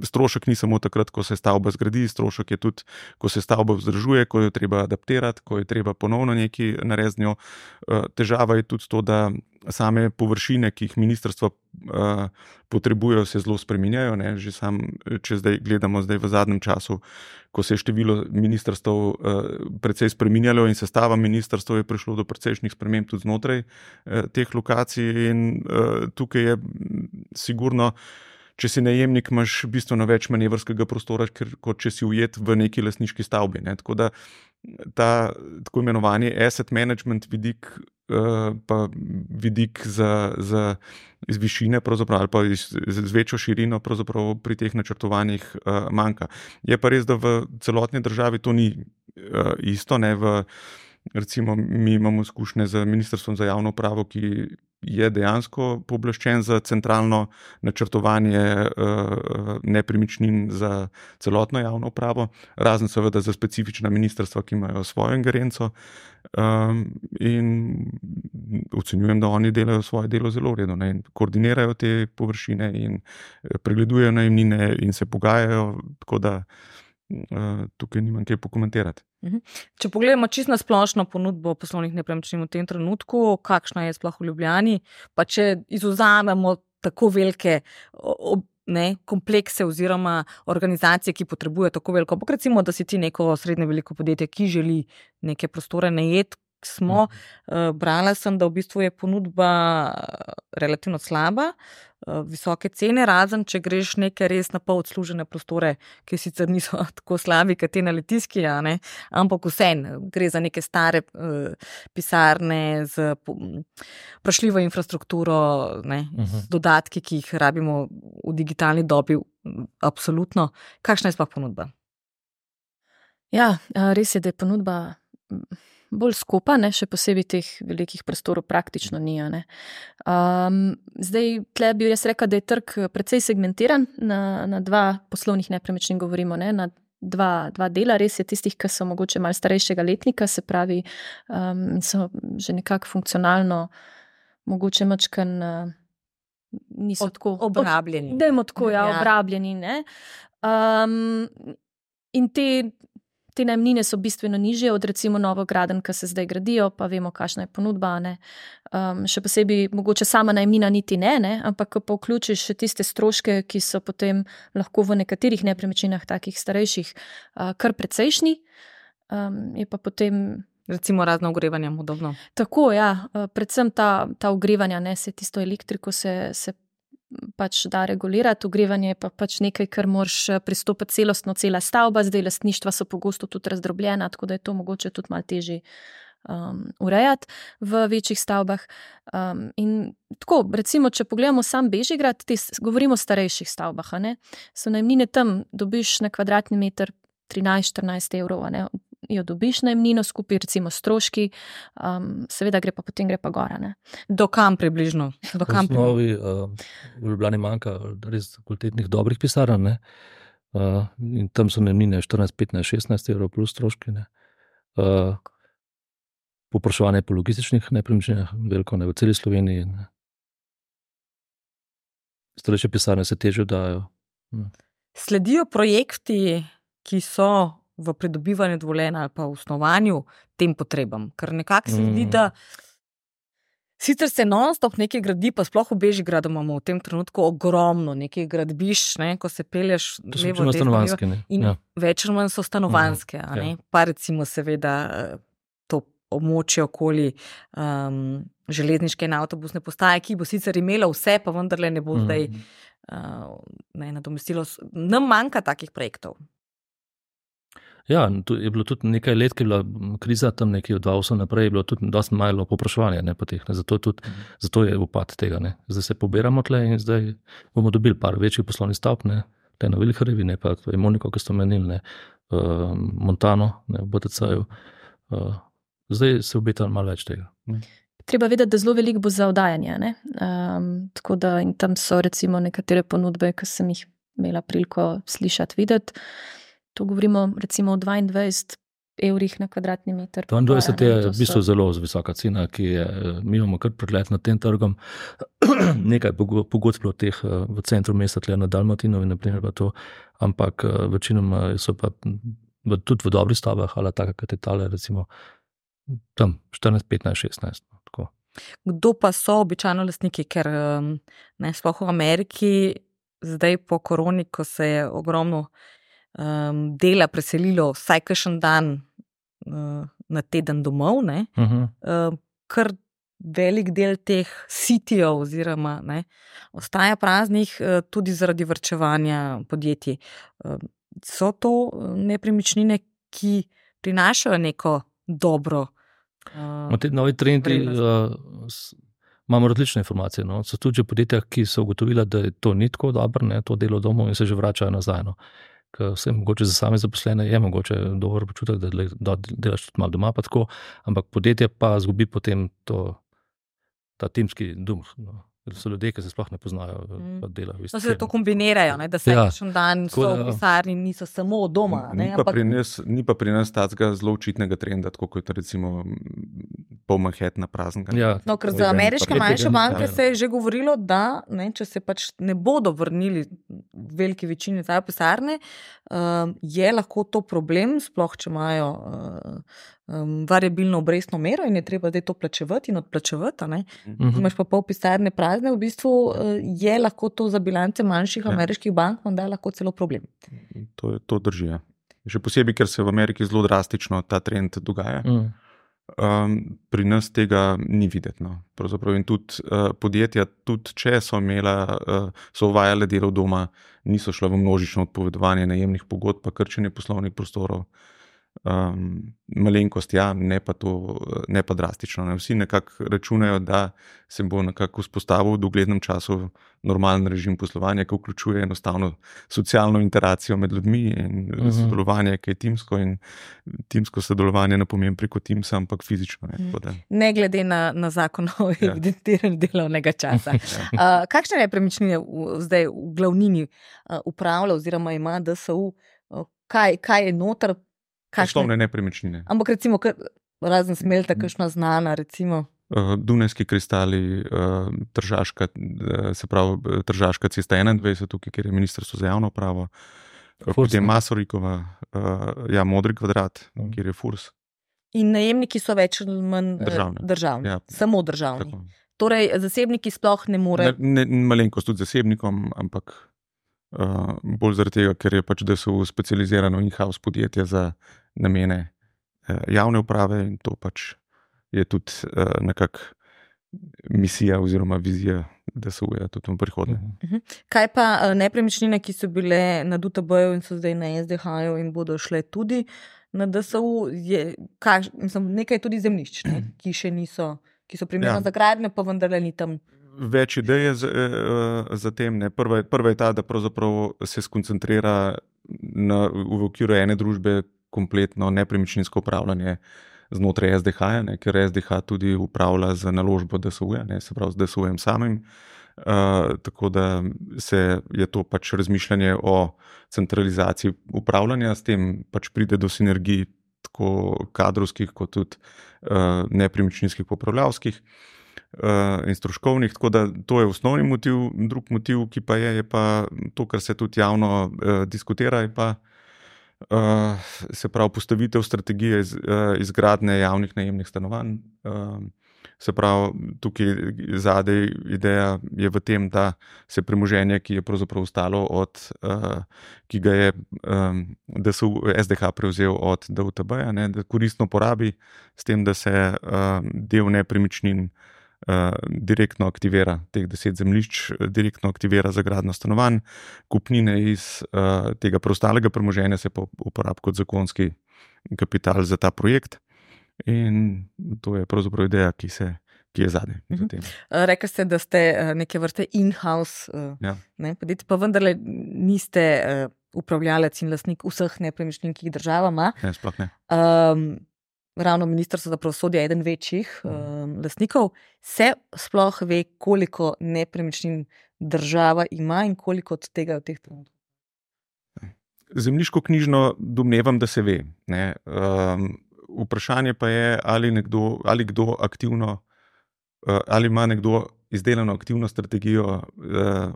strošek ni samo takrat, ko se stavba zgradi, strošek je tudi, ko se stavba vzdržuje, ko jo treba adaptirati, ko je treba ponovno nekaj narediti z njo. Uh, težava je tudi to, da same površine, ki jih ministrstva uh, potrebujejo, se zelo spreminjajo. Ne? Že sam, če zdaj gledamo zdaj v zadnjem času, ko se je število ministrstv uh, precej spreminjalo in sestava ministrstv, je prišlo do precejšnjih sprememb tudi znotraj uh, teh lokacij, in uh, tukaj je sigurno, če si najemnik, imaš bistveno več manevrskega prostora, ker, kot če si ujet v neki lastniški stavbi. Ne? Tako da ta tako imenovani asset management vidik, uh, pa vidik za, za iz višine pravzaprav, ali pa iz, z večjo širino pravzaprav pri teh načrtovanjih uh, manjka. Je pa res, da v celotni državi to ni uh, isto. Ne? V, recimo, mi imamo izkušnje z Ministrstvom za javno upravo, ki je dejansko pooblaščen za centralno načrtovanje uh, nepremičnin za celotno javno upravo, razen seveda za specifična ministrstva, ki imajo svojo ingerenco, um, in ocenjujem, da oni delajo svoje delo zelo v redu, ne, in koordinirajo te površine in pregledujejo najemnine in se pogajajo, tako da uh, tukaj nimam kaj pokomentirati. Če pogledamo čisto na splošno ponudbo poslovnih nepremičnin v tem trenutku, kakšna je sploh v Ljubljani, pa če izvzamemo tako velike ne, komplekse oziroma organizacije, ki potrebujejo tako veliko, ampak recimo, da si ti neko srednje veliko podjetje, ki želi neke prostore najeti, smo, uh, brala sem, da v bistvu je ponudba relativno slaba, uh, visoke cene, razen če greš neke res na pol odslužene prostore, ki sicer niso tako slabi, kot te na Litijski, ja, ne, ampak vseeno, gre za neke stare uh, pisarne z vprašljivo infrastrukturo, ne, uh-huh. z dodatki, ki jih rabimo v digitalni dobi, absolutno. Kakšna je sploh ponudba? Ja, res je, da je ponudba bolj skopa, ne, še posebej teh velikih prostorov praktično ni. Ne. Um, zdaj, tle bi jaz rekla, da je trg precej segmentiran, na, na dva poslovnih nepremičnin govorimo, ne, na dva, dva dela, res je tistih, ki so mogoče malo starejšega letnika, se pravi, um, so že nekako funkcionalno, mogoče mačkan uh, niso od, tako obrabljeni. Od, dajmo tako, ja, ja. obrabljeni, ne. Um, in te Te najemnine so bistveno nižje od recimo novogradenj, ki se zdaj gradijo, pa vemo, kakšna je ponudba. Ne. Um, še posebej mogoče sama najemnina niti ne, ne, ampak ko pa vključiš še tiste stroške, ki so potem lahko v nekaterih nepremičninah takih starejših uh, kar precejšnji, um, je pa potem recimo razno ogrevanje modobno. Tako, ja, uh, predvsem ta, ta ogrevanja, ne, se tisto elektriko se, se pač da regulirati, ogrevanje je pa pač nekaj, kar moraš pristopiti celostno, cela stavba, zdaj lastništva so pogosto tudi razdrobljena, tako da je to mogoče tudi malo težje um, urejati v večjih stavbah. Um, in tako, recimo, če pogledamo sam Bežigrad, te, govorimo o starejših stavbah, a ne, so najemnine tam, dobiš na kvadratni meter trinajst štirináct evrov, a ne, jo dobiš najemnino skupaj, recimo stroški, um, seveda gre pa potem gre pa gora. Ne. Do kam približno? Do kam v osnovi uh, v Ljubljani manjka res kvalitetnih dobrih pisarn, ne. Uh, in tam so najemnine štirinajst, petnajst, šestnajst evrov plus stroški. Ne. Uh, Popraševanje po logističnih nepremičninah veliko, ne, v celi Sloveniji. Ne. Starejše pisarne se težje dajo. Ne. Sledijo projekti, ki so v pridobivanju dovoljenja ali pa v osnovanju tem potrebam. Ker nekako se zdi, da sicer se non-stop nekaj gradi, pa sploh v Bežigradu imamo v tem trenutku ogromno nekaj gradbiš, ne, ko se pelješ levo, desno, levo, in ja. več ali manj so stanovanske. Uh-huh. A ne? Ja. Pa recimo seveda to območje okoli um, železniške in avtobusne postaje, ki bo sicer imela vse, pa vendarle ne bo uh-huh. zdaj uh, ne, nadomestilo. Nam manjka takih projektov. Ja, tu je bilo tudi nekaj let, ki je bila kriza, tam nekje od dva tisoč osem naprej, je bilo tudi dosti malo popraševanja, ne, po teh, ne, zato, tudi, mm. zato je upad tega, ne. Zdaj se pobiramo tle in zdaj bomo dobili par večjih poslovnih stavb, ne, te na Viliharjevi, ne, pa to je Moniko, ki ste omenili, ne, uh, Montano, ne, v B T C-ju, uh, zdaj se obeta malo več tega. Ne. Treba vedeti, da zelo veliko bo za oddajanje, ne, um, tako da in tam so recimo nekatere ponudbe, ki sem jih imela priliko slišati, videti. To govorimo recimo o dvaindvajset evrih na kvadratni meter. dvaindvajset je v bistvu zelo visoka cena, ki je, mi imamo kar pregled nad tem trgom. Nekaj pogodb bilo teh v centru mesta, tle na Dalmatinovi, naprimer pa to, ampak večinoma so pa tudi v dobrih stavbah, ali taka katetale, recimo tam štirinajst, petnajst, šestnajst. Tako. Kdo pa so običajno lastniki, ker ne, sploh v Ameriki, zdaj po koroni, ko se je ogromno Um, dela preselilo vsaj kakšen dan uh, na teden domov, ne, uh-huh. uh, kar velik del teh sitijev oziroma ne, ostaja praznih uh, tudi zaradi varčevanja podjetij. Uh, so to nepremičnine, ki prinašajo neko dobro uh, te novi trendi uh, imamo različne informacije. No. So tudi podjetja, ki so ugotovila, da je to ni tako dobro, ne, to delo domov in se že vračajo nazaj. No. Vse mogoče za same zaposlene je mogoče dober počutek, da delaš tudi malo doma, pa tako, ampak podjetje pa zgubi potem to, ta timski duh. No. So ljudje, ki se sploh ne poznajo, mm. pa delajo. No, se to kombinirajo, ne, da se ja. kakšen dan so v pisarni, niso samo doma. Ne, ni, pa ampak... pri nas, ni pa pri nas takega zelo očitnega trenda, tako kot recimo pol Manhattna praznega. Ja. No, ker za ameriške manjše banke ja. se je že govorilo, da ne, če se pač ne bodo vrnili v veliki večini za pisarne, uh, je lahko to problem, sploh če imajo uh, um, variabilno obrestno mero in je treba zdaj to plačevati in odplačevati. Mm-hmm. Imaš pa pol pisarne prazne, v bistvu uh, je lahko to za bilance manjših ja. ameriških bank, da je lahko celo problem. To, je, to drži. Ja. Še posebej, ker se v Ameriki zelo drastično ta trend dogaja. Mm. Um, pri nas tega ni videti. No. In tudi uh, podjetja, tudi če so imela, uh, so uvajale delo doma, niso šla v množično odpovedovanje najemnih pogodb, pa krčenje poslovnih prostorov. Um, malenkost, ja, ne pa to, ne pa drastično. Ne. Vsi nekako računajo, da se bo nekako vzpostavil v doglednem času normalen režim poslovanja, ki vključuje enostavno socialno interakcijo med ljudmi in uh-huh. sodelovanje, ki je timsko in timsko sodelovanje ne pomeni preko Teamsa, ampak fizično. Ne, da... ne glede na, na zakon o ja. evidentiranju delovnega časa. ja. uh, kakšne nepremičnine zdaj v glavnini uh, upravlja oziroma ima D S U? Uh, kaj, kaj je noter? Poslovne nepremičnine. Ampak recimo, razen Smelta, kakšna znana, recimo? Uh, Dunajski kristali, uh, Tržaška, uh, se pravi Tržaška cesta enaindvajset, tukaj, kjer je Ministrstvo za javno upravo, potem Masorikova, uh, ja, Modri kvadrat, mm. kjer je Furs. In najemniki so več ali manj državni. državni. Ja. Samo državni. Tako. Torej, zasebniki sploh ne morejo. Ne, ne, malenkost tudi zasebnikom, ampak Uh, bolj zaradi tega, ker je pač D S U specializirano in-house podjetje za namene uh, javne uprave in to pač je tudi uh, nekak misija oziroma vizija D S U-ja tudi v prihodnje. Uh-huh. Kaj pa uh, nepremičnine, ki so bile na D U T B-ju in so zdaj na S D H-ju in bodo šle tudi na D S U, je kaž, mislim, nekaj tudi zemljišč, ne, ki še niso, ki so primerno ja. za gradnje, pa vendarle ni tam. Več ideje za, za tem. Ne. Prva, prva je ta, da pravzaprav se skoncentrira na, v okviru ene družbe kompletno nepremičninsko upravljanje znotraj S D H-ja, ne, ker S D H tudi upravlja z naložbo D S U-ja, ne, se pravi z D S U-jem samim. Uh, tako da se je to pač razmišljanje o centralizaciji upravljanja, s tem pač pride do sinergij tako kadrovskih kot tudi uh, nepremičninskih popravljavskih. Uh, in stroškovnih, tako da to je osnovni motiv. Drug motiv, ki pa je, je pa to, kar se tudi javno uh, diskutira, je pa uh, se pravi postavitev strategije iz, uh, izgradnje javnih najemnih stanovanj. Uh, se pravi, tukaj zadej ideja je v tem, da se premoženje, ki je pravzaprav ostalo od, uh, ki ga je um, D S U, S D H prevzel od D U T B-ja, ne, da koristno porabi s tem, da se uh, del nepremičnin uh, direktno aktivira teh deset zemljišč, direktno aktivira za gradnjo stanovanj, kupnine iz uh, tega preostalega premoženja se pa uporablja kot zakonski kapital za ta projekt. In to je pravzaprav ideja, ki, se, ki je zadnja. Mhm. Rekli ste, da ste neke vrste in-house ja. ne, podjetje, pa vendarle niste uh, upravljalec in lastnik vseh nepremičnin, ki jih država ima. Ne, sploh ne. Um, ravno Ministrstvo za pravosodje je eden večjih um, lastnikov. Se sploh ve, koliko nepremičnin država ima in koliko od tega je v teh trenutkih? Zemljiško knjižno domnevam, da se ve. Ne. Um, Vprašanje pa je, ali, nekdo, ali kdo aktivno, ali ima nekdo izdelano aktivno strategijo uh,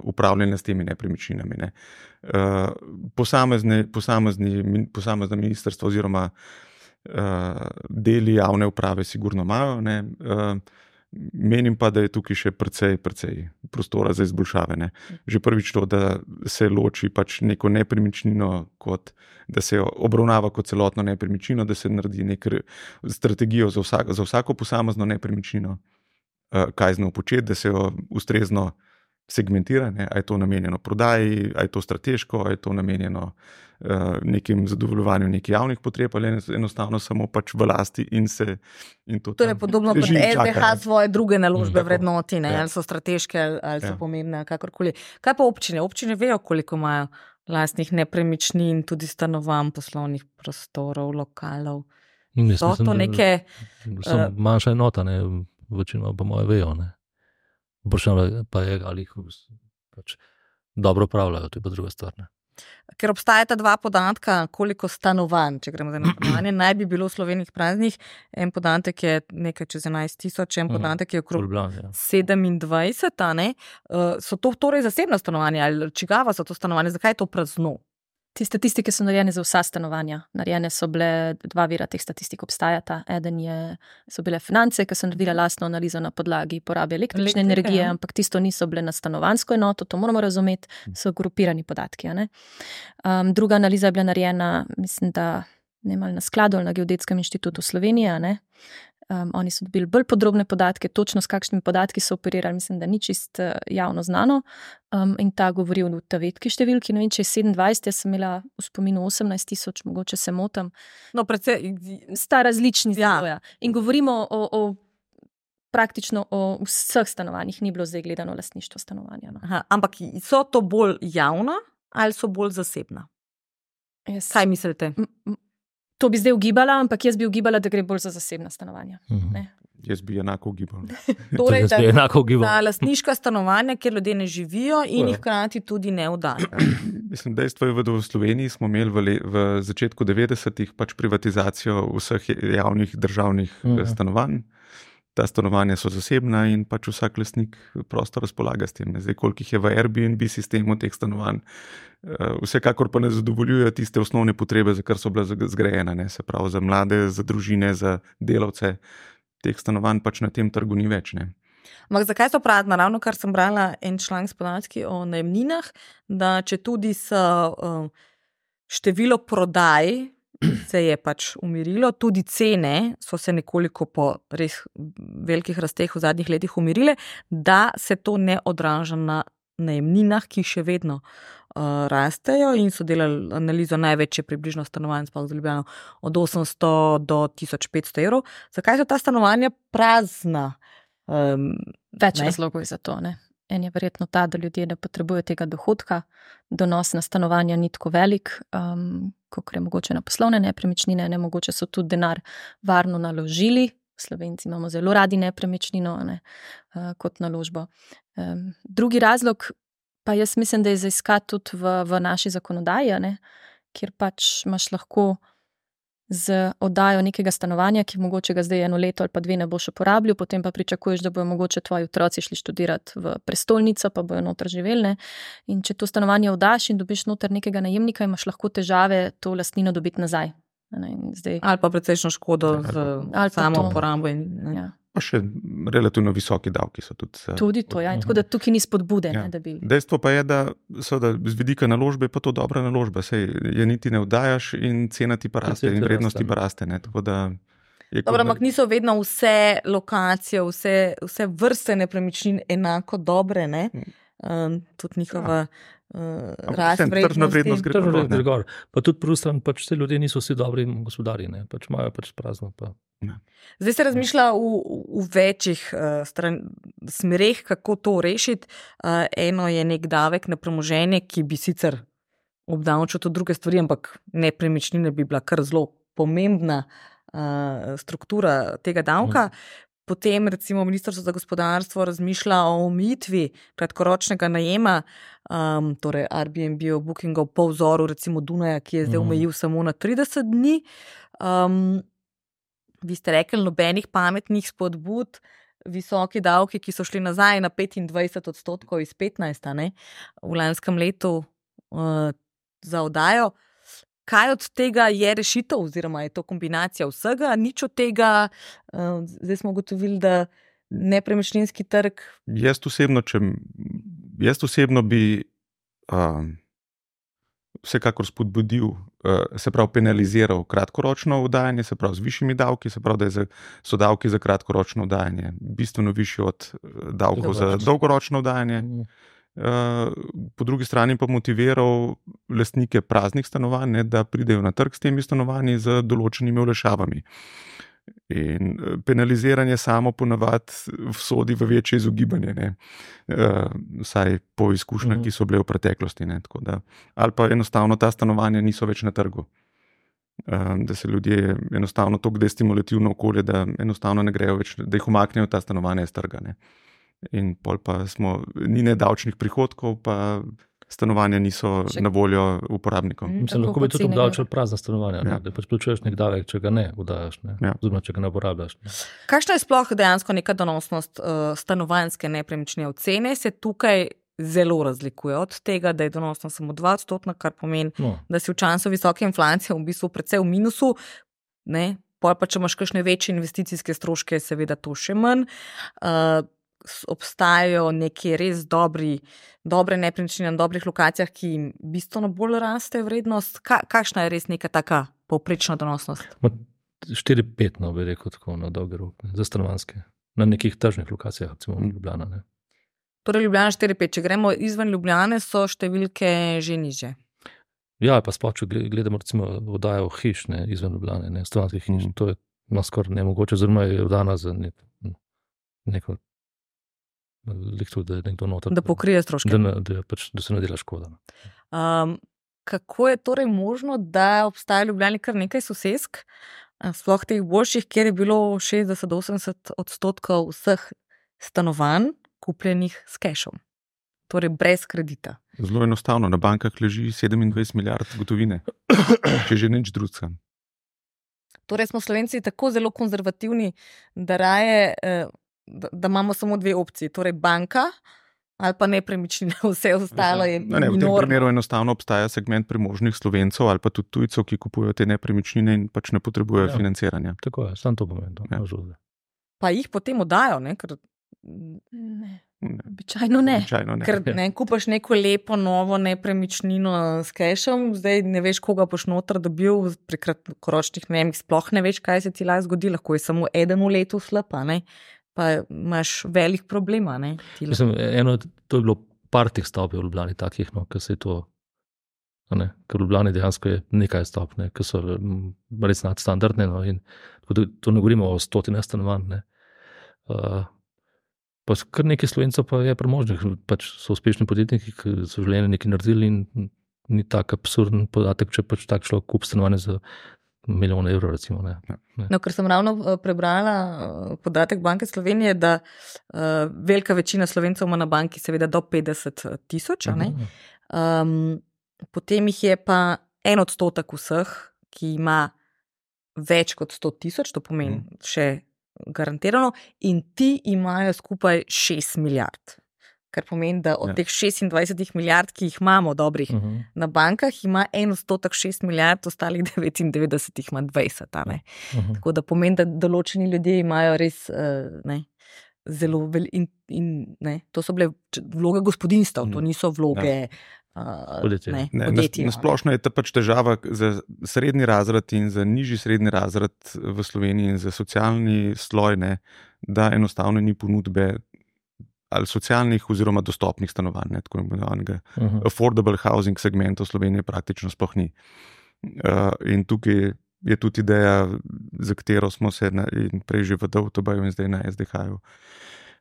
upravljanja s temi nepremičninami. Ne. Uh, posamezne, posamezni, posamezne ministrstva oziroma uh, deli javne uprave sigurno imajo. Ne. Uh, menim pa, da je tukaj še precej, precej prostora za izboljšave. Ne. Že prvič to, da se loči pač neko nepremičnino kot da se jo obravnava kot celotno nepremičnino, da se naredi neko strategijo za, vsak, za vsako posamezno nepremičnino, kaj z njo početi, da se jo ustrezno segmentira, ne, a je to namenjeno prodaji, a je to strateško, a je to namenjeno uh, nekim zadovoljevanju nekih javnih potreb, ali enostavno samo pač v lasti in se in to torej podobno kot S D H svoje druge naložbe mm, vrednoti, ne, ja. ali so strateške, ali, ali so ja. pomembne, kakorkoli. Kaj pa občine? Občine vejo, koliko imajo lastnih nepremičnin, tudi stanovanj, poslovnih prostorov, lokalov. Mislim, so to neke... So uh, manjša enota, ne, večino pa moje vejo, ne. Vprašanje pa je, ali jih pač dobro upravljajo, to je pa druga stvar. Ne. Ker obstajata dva podatka, koliko stanovanj, če gremo za eno stanovanje, naj bi bilo v Sloveniji praznih. En podatek je nekaj čez enajst tisoč, en podatek je okrog ja. sedemindvajset. Ne? Uh, so to torej zasebna stanovanja ali čigava so to stanovanja? Zakaj je to prazno? Te statistike so narejene za vsa stanovanja. Narejene so bile, dva vira teh statistik obstajata. Eden je, so bile Finance, ki so naredile lastno analizo na podlagi porabe električne Elektrike, energije, ja. Ampak tisto niso bile na stanovanjsko enoto, to moramo razumeti, so grupirani podatki. Ne? Um, druga analiza je bila narejena, mislim, da ne ali na skladu ali na Geodetskem inštitutu Slovenije, ne? Um, oni so dobili bolj podrobne podatke, točno s kakšnimi podatki so operirali, mislim, da ni čist uh, javno znano. Um, in ta govori o ta vetki številki, ne vem, če je sedemindvajset, jaz sem imela v spominu osemnajst tisoč, mogoče se motam. No, predvsej... Sta različni ja. Zelo, ja. In govorimo o, o praktično o vseh stanovanjih, ni bilo zdaj gledano lastništvo stanovanja. No. Aha, ampak so to bolj javna ali so bolj zasebna? Yes. Kaj mislite? M- m- To bi zdaj ugibala, ampak jaz bi ugibala, da gre bolj za zasebna stanovanja. Mhm. Jaz bi enako ugibala. Torej, da je enako ugibala. Na lastniška stanovanja, kjer ljudje ne živijo in jih hkrati tudi ne oddajo. Mislim, dejstvo je, da v Sloveniji smo imeli v, le, v začetku devetdesetih pač privatizacijo vseh javnih državnih mhm. stanovanj. Ta stanovanja so zasebna in pač vsak lastnik prosto razpolaga s tem. Zdaj, koliko jih je v Airbnb sistemu teh stanovanj, vsekakor pa ne zadovoljujejo tiste osnovne potrebe, za kar so bile zgrajene, ne? Se pravi za mlade, za družine, za delavce. Teh stanovanj pač na tem trgu ni več. Ne? Ampak zakaj so prazna? Ravno kar sem brala en članek s podatki o najemninah, da če tudi so uh, število prodaj se je pač umirilo, tudi cene so se nekoliko po res velikih rasteh v zadnjih letih umirile, da se to ne odraža na najemninah, ki še vedno uh, rastejo in so delali analizo največje približno stanovanj, sploh za Ljubljano, od osemsto do tisoč petsto evrov. Zakaj so ta stanovanja prazna? Um, Več razlogov je za to, ne? En je verjetno ta, da ljudje ne potrebujejo tega dohodka, donos na stanovanja ni tako velik, um, kot je mogoče na poslovne nepremičnine, ne mogoče so tudi denar varno naložili. Slovenci imamo zelo radi nepremičnino, ne, uh, kot naložbo. Um, drugi razlog pa jaz mislim, da je za iskati tudi v, v naši zakonodaji, ne, kjer pač imaš lahko z oddajo nekega stanovanja, ki mogoče ga zdaj eno leto ali pa dve ne boš uporabljal, potem pa pričakuješ, da bojo mogoče tvoji otroci šli študirati v prestolnico, pa bojo noter živeli. Ne? In če to stanovanje oddaš in dobiš noter nekega najemnika, imaš lahko težave to lastnino dobiti nazaj. Zdaj... Ali pa precejšno škodo z samo uporabo. Ja. Pa še relativno visoki davki so tudi. Tudi to, ja. Tako da tukaj ni spodbude. Ja. Ne, da bi... Dejstvo pa je, da so da z vidika naložbe pa to dobra naložba. Sej je niti ne oddajaš in cena ti pa raste in vrednost ti pa raste. Ne. Tako da... Dobro, ampak niso vedno vse lokacije, vse, vse vrste nepremičnin enako dobre, ne? Um, tudi njihova ja. uh, rast tržna vrednost gre tržna vrednost gor. Pa tudi prvi stran, pač te ljudje niso vsi dobri gospodari, ne? Pač imajo pač prazno. Pa. Ja. Zdaj se razmišlja v, v večjih uh, stran, smereh, kako to rešiti. Uh, eno je nek davek na premoženje, ki bi sicer obdavčil tudi druge stvari, ampak nepremičnine bi bila kar zelo pomembna uh, struktura tega davka. Mm. Potem recimo Ministrstvo za gospodarstvo razmišlja o omejitvi kratkoročnega najema, um, torej Airbnb, Bookingov po vzoru recimo Dunaja, ki je zdaj omejil samo na trideset dni. Um, vi ste rekli, nobenih pametnih spodbud, visoki davki, ki so šli nazaj na petindvajset odstotkov iz petnajst, ne, v lanskem letu uh, za oddajo. Kaj od tega je rešitev, oziroma je to kombinacija vsega? Nič od tega, zdaj smo ugotovili, da nepremičninski trg. Jaz osebno, če, jaz osebno bi um, vsekakor spodbudil, uh, se pravi penaliziral kratkoročno oddajanje, se pravi z višjimi davki, se pravi, da je za, so davki za kratkoročno oddajanje bistveno višji od davkov za dolgoročno oddajanje. Mm. Uh, po drugi strani pa motiviral lastnike praznih stanovanj, ne, da pridejo na trg s temi stanovanji z določenimi olajšavami. In penaliziranje samo ponavadi vsodi v večje izogibanje, ne, uh, vsaj po izkušnjah, mm. ki so bile v preteklosti. Ne, tako da, ali pa enostavno ta stanovanja niso več na trgu. Uh, da se ljudje enostavno tako destimulativno okolje, da enostavno ne grejo več, da jih umaknejo ta stanovanja iz trga. Ne. In pol pa smo, ni nedavčnih prihodkov, pa stanovanja niso Še... na voljo uporabnikom. Mm, Mislim, lahko bi tudi obdavčili prazna stanovanja, ja. Da pač plačuješ nek davek, če ga ne udajaš, ne? Ja. Oziroma, če ga ne uporabljaš. Ne? Kakšna je sploh dejansko neka donosnost uh, stanovanjske nepremičnine ocene? Se tukaj zelo razlikuje od tega, da je donosnost samo dva odstotna, kar pomeni, no. da si v času visoke inflacije v bistvu precej v minusu, ne? Pol pa, če imaš kakšne večje investicijske stroške, seveda to še manj. Uh, obstajajo neki res dobri, dobre nepremičnine na dobrih lokacijah, ki jim bistveno bolj raste vrednost. Ka, kakšna je res neka taka povprečna donosnost? štiri pet, no, bi rekel tako na dolgi rok, za stanovanjske. Na nekih tržnih lokacijah, recimo Ljubljana. Ne. Torej Ljubljana štiri pet, če gremo izven Ljubljane, so številke že niže. Ja, pa sploh, če gledamo recimo oddajo hiš, ne, izven Ljubljane, ne, stanovanjskih hiš, mm. to je no, skoraj nemogoče, oziroma je oddana za ne, neko Liktu, da, noter, da pokrije stroške. Da, da, pač, da se ne dela škoda. Um, kako je torej možno, da obstaja v Ljubljani kar nekaj sosesk, sploh teh boljših, kjer je bilo šestdeset do osemdeset odstotkov vseh stanovanj kupljenih s kešom, torej brez kredita? Zelo enostavno, na bankah leži sedemindvajset milijard gotovine, če že nič drugega. Torej smo Slovenci tako zelo konzervativni, da raje eh, Da, da imamo samo dve opciji, torej banka ali pa nepremičnine, vse ostalo je ne, v tem primeru enostavno obstaja segment premožnih Slovencev ali pa tudi tujcev, ki kupujejo te nepremičnine in pač ne potrebujejo ja, financiranja. Tako je, sam to pomeni. Ja. Pa jih potem oddajo, ne? Ker... Ne. Običajno ne. Običajno ne. Ker ne, kupaš neko lepo novo nepremičnino s kešom, zdaj ne veš, koga boš noter dobil, pri kratkoročnih najemih sploh ne veš, kaj se ti lahko zgodi, lahko je samo eden v letu slapa, ne? Pa imaš velik problema. Ne, Mislim, eno, to je bilo par teh stavb v Ljubljani takih, no, ker se je to, ne, ker v Ljubljani dejansko je nekaj stavb, ne, ker so res nadstandardne, no, in to ne govorimo o stotine stanovanj, ne. Uh, pa kar nekaj Slovencev pa je premožnih, pač so uspešni podjetniki, ki so življenje nekaj naredili in ni tak absurden podatek, če pač tak človek kup stanovanje za milijon evrov, recimo. Ne. Ne. No, ker sem ravno prebrala podatek Banke Slovenije, da uh, velika večina Slovencev ima na banki seveda do petdeset tisoč, um, potem jih je pa en odstotek vseh, ki ima več kot sto tisoč, to pomeni mm. še garantirano, in ti imajo skupaj šest milijard. Kar pomeni, da od ja. teh šestindvajset milijard, ki jih imamo dobrih uh -huh. na bankah, ima en odstotek šest milijard, ostalih devetindevetdeset jih ima dvajset. Uh -huh. Tako da pomeni, da določeni ljudje imajo res uh, ne, zelo veliko in, in ne, to so bile vloge gospodinstv, uh -huh. to niso vloge ja. Podjetje. ne, Ne, podjetji. na, na splošno je ta pač težava za srednji razred in za nižji srednji razred v Sloveniji in za socialni sloj, ne, da enostavno ni ponudbe ali socialnih oziroma dostopnih stanovanj, ne, tako imenovanega uh -huh. affordable housing segmenta v Sloveniji praktično sploh ni. Uh, in tukaj je tudi ideja, za katero smo se na, in prej že v D O T B-ju in zdaj na S D H-ju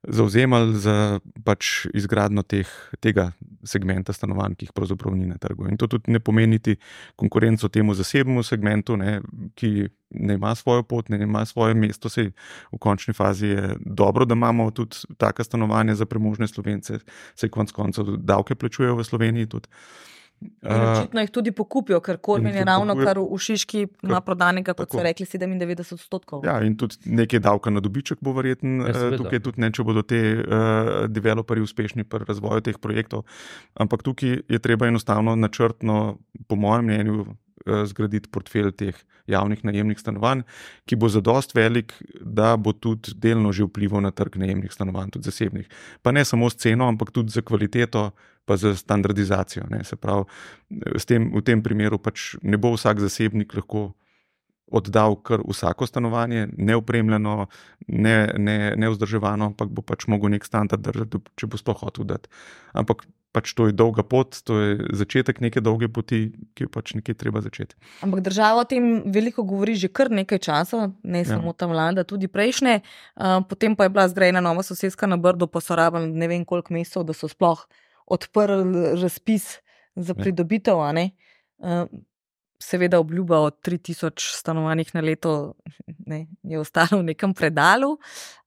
zavzemali za pač izgradnjo teh, tega segmenta stanovanj, ki jih pravzaprav ni na trgu. In to tudi ne pomeni niti konkurenco temu zasebnemu segmentu, ne, ki ne ima svojo pot, ne ima svoje mesto. Sej v končni fazi je dobro, da imamo tudi taka stanovanja za premožne Slovence, sej konec koncev davke plačujejo v Sloveniji tudi. Očitno jih tudi pokupijo, ker Kormin je ravno kar v Šiški ima prodanega, kot so rekli, sedemindevetdeset odstotkov. Ja, in tudi nekaj davka na dobiček bo verjetno ja, tukaj tudi ne, če bodo te uh, developerji uspešni pri razvoju teh projektov. Ampak tukaj je treba enostavno načrtno, po mojem mnenju, uh, zgraditi portfelj teh javnih najemnih stanovanj, ki bo zadost velik, da bo tudi delno že vplival na trg najemnih stanovanj, tudi zasebnih. Pa ne samo s ceno, ampak tudi za kvaliteto, pa za standardizacijo. Ne. Se pravi, s tem, v tem primeru pač ne bo vsak zasebnik lahko oddal kar vsako stanovanje, neopremljeno, ne, ne, nevzdrževano, ampak bo pač mogel nek standard držati, če bo sploh hotel dati. Ampak pač to je dolga pot, to je začetek neke dolge poti, ki jo pač nekje treba začeti. Ampak država o tem veliko govori že kar nekaj časa, ne samo ja. ta vlada, tudi prejšnje. Uh, potem pa je bila zgrajena nova soseska na Brdu, pa so rabili ne vem koliko mesecev, da so sploh odprli razpis za pridobitev, a ne. Uh, seveda obljuba o tri tisoč stanovanjih na leto ne, je ostalo v nekem predalu.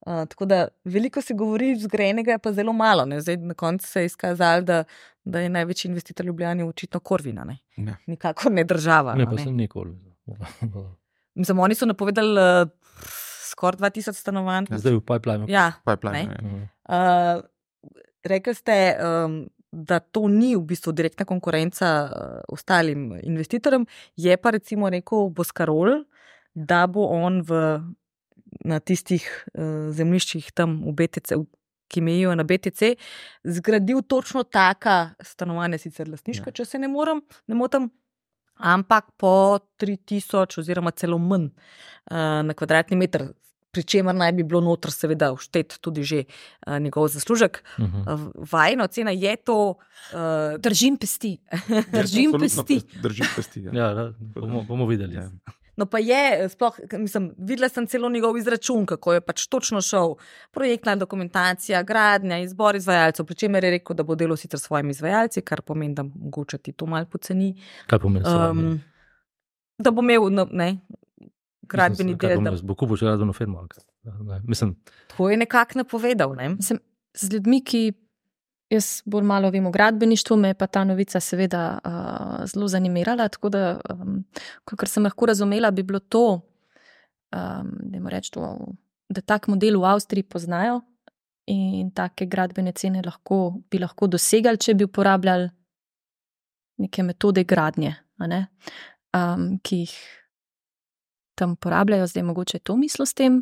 Uh, tako da veliko se govori, zgrajenega je pa zelo malo. Ne. Zdaj na koncu se je izkazalo, da, da je največji investitor Ljubljani očitno Korvina. Ne. Ne. Nikakor ne država. Ne, pa sem nikoli. Mislim, oni so napovedali uh, skoraj dva tisoč stanovanj. Zdaj v pipeline. Ja, pipeline uh, rekli ste, um, da to ni v bistvu direktna konkurenca uh, ostalim investitorjem, je pa recimo rekel Boscarol, da bo on v, na tistih uh, zemljiščih tam v B T C, ki mejijo na B T C, zgradil točno taka stanovanja, sicer lastniška, ja. če se ne moram, ne motam, ampak po tri tisoč oziroma celo manj uh, na kvadratni meter, pri čemer naj bi bilo notr seveda vštet tudi že uh, njegov zaslužek. Uh-huh. Uh, vajna ocena je to... Uh, držim pesti. držim pesti. Držim pesti, ja. Ja, bomo, bomo videli. Ja. No pa je, sploh, mislim, videla sem celo njegov izračun, kako je pač točno šel projektna dokumentacija, gradnja, izbor izvajalcev, pri čemer je rekel, da bo delal sicer s svojimi izvajalci, kar pomeni, da mogoče ti to malo poceni. Kaj pomeni svojimi? Um, da bo imel, no, ne, gradbeni del. Da bo kupil še gradbeno firmo. Mislim, to je nekako napovedal. Ne? Mislim, z ljudmi, ki jaz bolj malo vem o gradbeništvu, me je pa ta novica seveda uh, zelo zanimirala, tako da, um, kakor sem lahko razumela, bi bilo to, um, dajmo reči to, da tak model v Avstriji poznajo in take gradbene cene lahko, bi lahko dosegali, če bi uporabljali neke metode gradnje, a ne? Um, ki jih tam uporabljajo, zdaj mogoče to mislo s tem.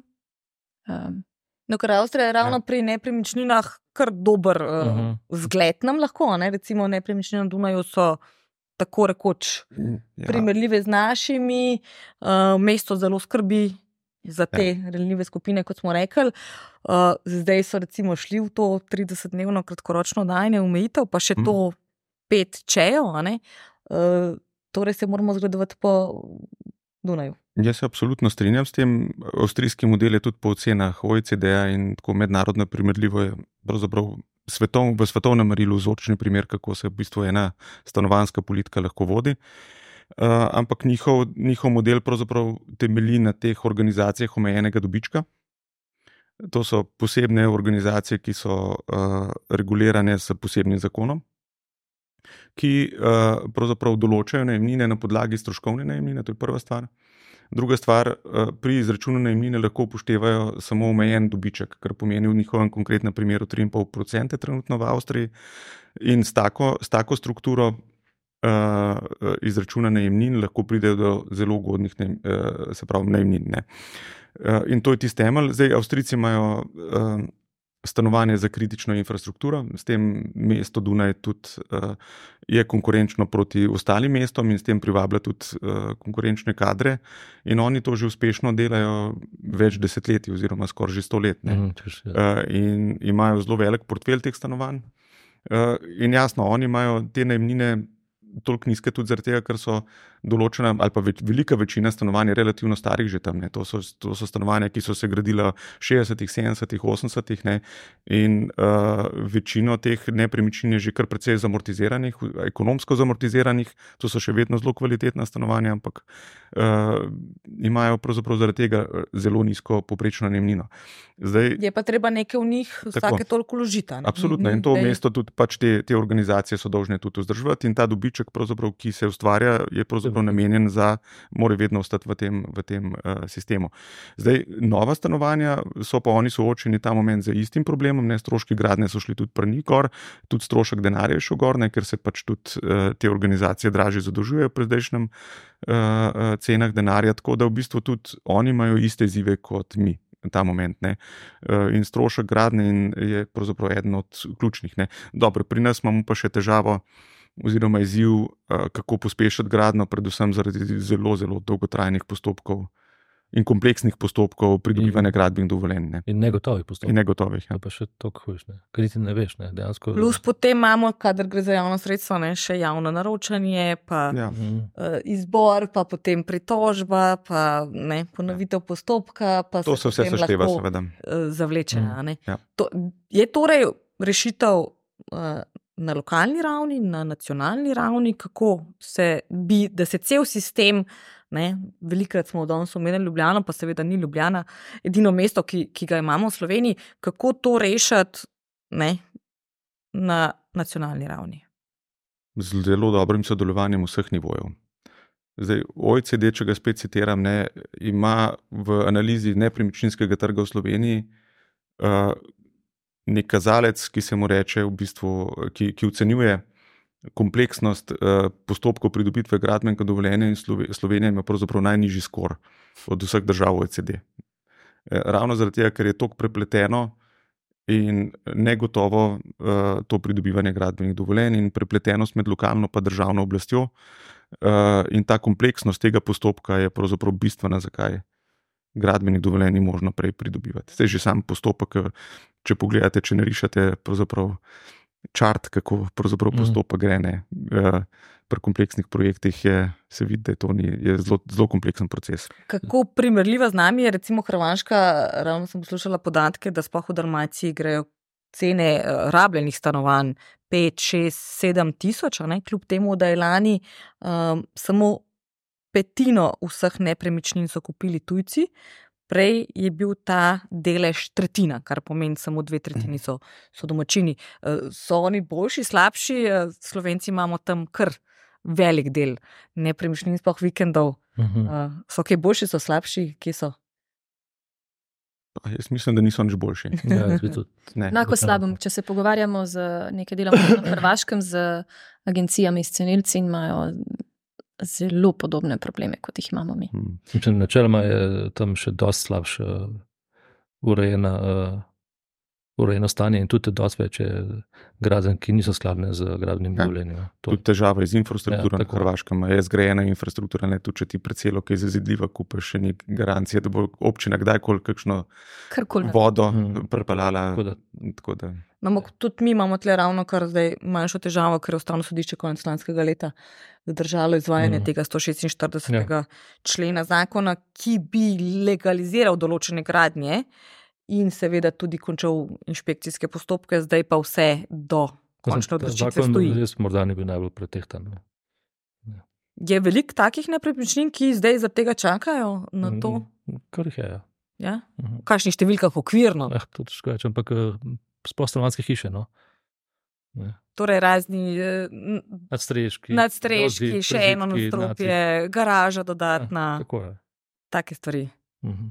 Um, no, ker Avstrija je ravno ja. pri nepremičninah kar dober uh, uh-huh. zgled nam lahko, ne? Recimo nepremičnine na Dunaju so tako rekoč ja. primerljive z našimi, uh, mesto zelo skrbi za te ja. ranljive skupine, kot smo rekli. Uh, zdaj so recimo šli v to tridesetdnevno kratkoročno dajanje omejitev, pa še hmm. to pet čejo, a ne? Uh, torej se moramo zgledovati po Dunaju. Jaz se absolutno strinjam s tem. Avstrijski model je tudi po ocenah O E C D-ja in tako mednarodno primerljivo je pravzaprav svetov, v svetovnem merilu vzorčni primer, kako se v bistvu ena stanovanjska politika lahko vodi. Uh, ampak njihov, njihov model pravzaprav temelji na teh organizacijah omejenega dobička. To so posebne organizacije, ki so uh, regulirane s posebnim zakonom, ki uh, pravzaprav določajo najemnine na podlagi stroškovne najemnine, to je prva stvar. Druga stvar, uh, pri izračunu najemnine lahko upoštevajo samo omejen dobiček, kar pomeni v njihovem konkretnem primeru tri in pol procenta trenutno v Avstriji in s tako, s tako strukturo uh, izračuna najemnin lahko pridejo do zelo ugodnih najem, uh, se pravi najemnin. Ne? Uh, in to je tisti temelj. Zdaj, Avstrijci imajo uh, stanovanje za kritično infrastrukturo. S tem mesto Dunaj tudi uh, je konkurenčno proti ostalim mestom in s tem privablja tudi uh, konkurenčne kadre. In oni to že uspešno delajo več desetletij oziroma skoraj že sto let. Ne? Mhm, češ, ja. uh, in imajo zelo velik portfelj teh stanovanj. Uh, in jasno, oni imajo te najemnine toliko nizke tudi zaradi tega, ker so določena ali pa več, velika večina stanovanj je relativno starih že tam. Ne. To so, to so stanovanja, ki so se gradila v šestdesetih, sedemdesetih, osemdesetih ne. In uh, večino teh nepremičnin je že kar precej zamortiziranih, ekonomsko zamortiziranih, to so še vedno zelo kvalitetna stanovanja, ampak uh, imajo pravzaprav zaradi tega zelo nizko povprečno najemnino. Zdaj, je pa treba nekaj v njih vsake toliko vložiti. Absolutno, in to mesto tudi pač te, te organizacije so dolžne tudi vzdrževati in ta dobiček, ki se ustvarja, je pravzaprav namenjen za, mora vedno ostati v tem, v tem uh, sistemu. Zdaj, nova stanovanja so pa oni soočeni ta moment z istim problemom, ne, stroški gradnje so šli tudi prni gor, tudi strošek denarja je šel gor, ne, ker se pač tudi uh, te organizacije dražje zadolžujejo pri zdajšnjem uh, uh, cenah denarja, tako da v bistvu tudi oni imajo iste izzive kot mi. Ta moment, ne. In strošek gradnje je pravzaprav eden od ključnih, ne. Dobro, pri nas imamo pa še težavo oziroma izziv, kako pospešiti gradnjo, predvsem zaradi zelo, zelo dolgotrajnih postopkov in kompleksnih postopkov pridobivanja gradbenih dovoljenj. Ne. In negotovih postopkov. In negotovih, ja. To pa še toliko hujš, ne. Ker ti ne veš, ne, dejansko. Plus potem imamo, kadar gre za javno sredstvo, ne, še javno naročanje, pa Ja. uh, izbor, pa potem pritožba, pa ne, ponovitev postopka, pa To se vse potem sešteva, lahko, seveda. uh, zavleče. a Ne. Ja. To, je torej rešitev uh, na lokalni ravni, na nacionalni ravni, kako se bi, da se cel sistem, ne, velikrat smo danes omenili Ljubljano, pa seveda ni Ljubljana edino mesto, ki, ki ga imamo v Sloveniji, kako to rešiti, ne, na nacionalni ravni. Z zelo dobrim sodelovanjem vseh nivojev. Zdaj, O E C D, če ga spet citiram, ne, ima v analizi nepremičninskega trga v Sloveniji uh, nek kazalec, ki se mu reče v bistvu, ki, ki ocenjuje kompleksnost uh, postopkov pridobitve gradbenega dovoljenja in Slovenija ima pravzaprav najnižji skor od vseh držav O E C D. E, ravno zaradi tega, ker je toliko prepleteno in negotovo uh, to pridobivanje gradbenih dovoljenj in prepletenost med lokalno pa državno oblastjo uh, in ta kompleksnost tega postopka je pravzaprav bistvena, zakaj gradbenih dovoljenj ni možno prej pridobivati. Zdaj že sam postopek, če pogledate, če narišete pravzaprav čart, kako pravzaprav postopek gre, ne. Uh, pri kompleksnih projektih je, se vidi, da je to ni, je zelo, zelo kompleksen proces. Kako primerljiva z nami je recimo Hrvaška, ravno sem poslušala podatke, da sploh v Dalmaciji grejo cene rabljenih stanovanj pet, šest, sedem tisoč, ne, kljub temu, da je lani um, samo petino vseh nepremičnin so kupili tujci, prej je bil ta delež tretjina, kar pomeni samo dve tretjini so, so domačini. So oni boljši, slabši? Slovenci imamo tam kar velik del nepremičnin, sploh vikendov. Uh-huh. So kaj boljši, so slabši, kje so? Pa jaz mislim, da niso nič boljši. Ja, Enako slabem, če se pogovarjamo z nekaj delom na Hrvaškem, z agencijami, s cenilci in imajo zelo podobne probleme, kot jih imamo mi. Hmm. Načeloma je tam še dosti slabše urejena, uh, urejeno stanje in tudi dosti več je gradenj, ki niso skladne z gradbenim dovoljenjem. Ja. Tudi težava z infrastrukturo ja, na Hrvaškem. Je zgrajena infrastruktura, ne, tudi če ti precelo, ki je zazidljiva, kupaš še nek garancije, da bo občina kdajkoli kakšno Karkoli. vodo hmm. prepelala. Tako da. Tako da. No, tudi mi imamo tle ravno kar zdaj manjšo težavo, ker je Ustavno sodišče konec lanskega leta zadržalo izvajanje mm. tega sto šestinštiridesetega ja. člena zakona, ki bi legaliziral določene gradnje in seveda tudi končal inšpekcijske postopke, zdaj pa vse do končne odločitve stoji. Zakon res morda ni bil najbolj pretehtan. Ja. Je veliko takih nepremičnin, ki zdaj zaradi tega čakajo na to? Kar jih je, ja. Ja? V kakšnih številkah okvirno? Eh, to težko reči, ampak sploh stanovanjske hiše, no. Ne. Torej razni nadstreški, nadstreški dozi, še eno nadstropje, garaža dodatna, ja, tako je. Take stvari. Uh-huh.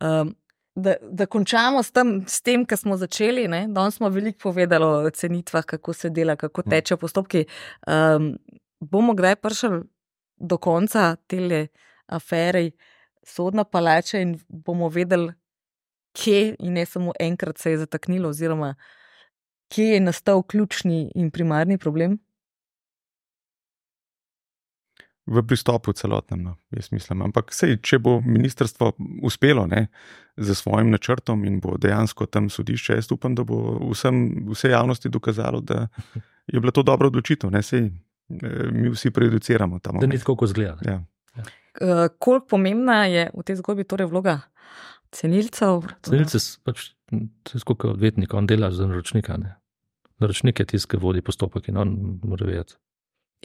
Um, da, da končamo s tem, s tem, kar smo začeli, ne? Danes smo veliko povedali o cenitvah, kako se dela, kako tečejo postopki. Um, bomo kdaj prišli do konca tele afere Sodna palača in bomo vedeli, kje in ne samo enkrat se je zataknilo, oziroma kje je nastal ključni in primarni problem? V pristopu celotnem, no, jaz mislim. Ampak sej, če bo ministrstvo uspelo ne, z svojim načrtom in bo dejansko tam sodišče, jaz upam, da bo vsem, vse javnosti dokazalo, da je bila to dobra odločitev. Ne, sej, mi vsi prejudiciramo tam. Da ni tako, kot zgleda. Ja. Uh, koliko pomembna je v tej zgodbi torej vloga cenilcev? Cenilce pač, to je skoliko odvetnika, on dela za naročnika. Ne. Naročnik je tisti, ki vodi postopek in on mora vedeti.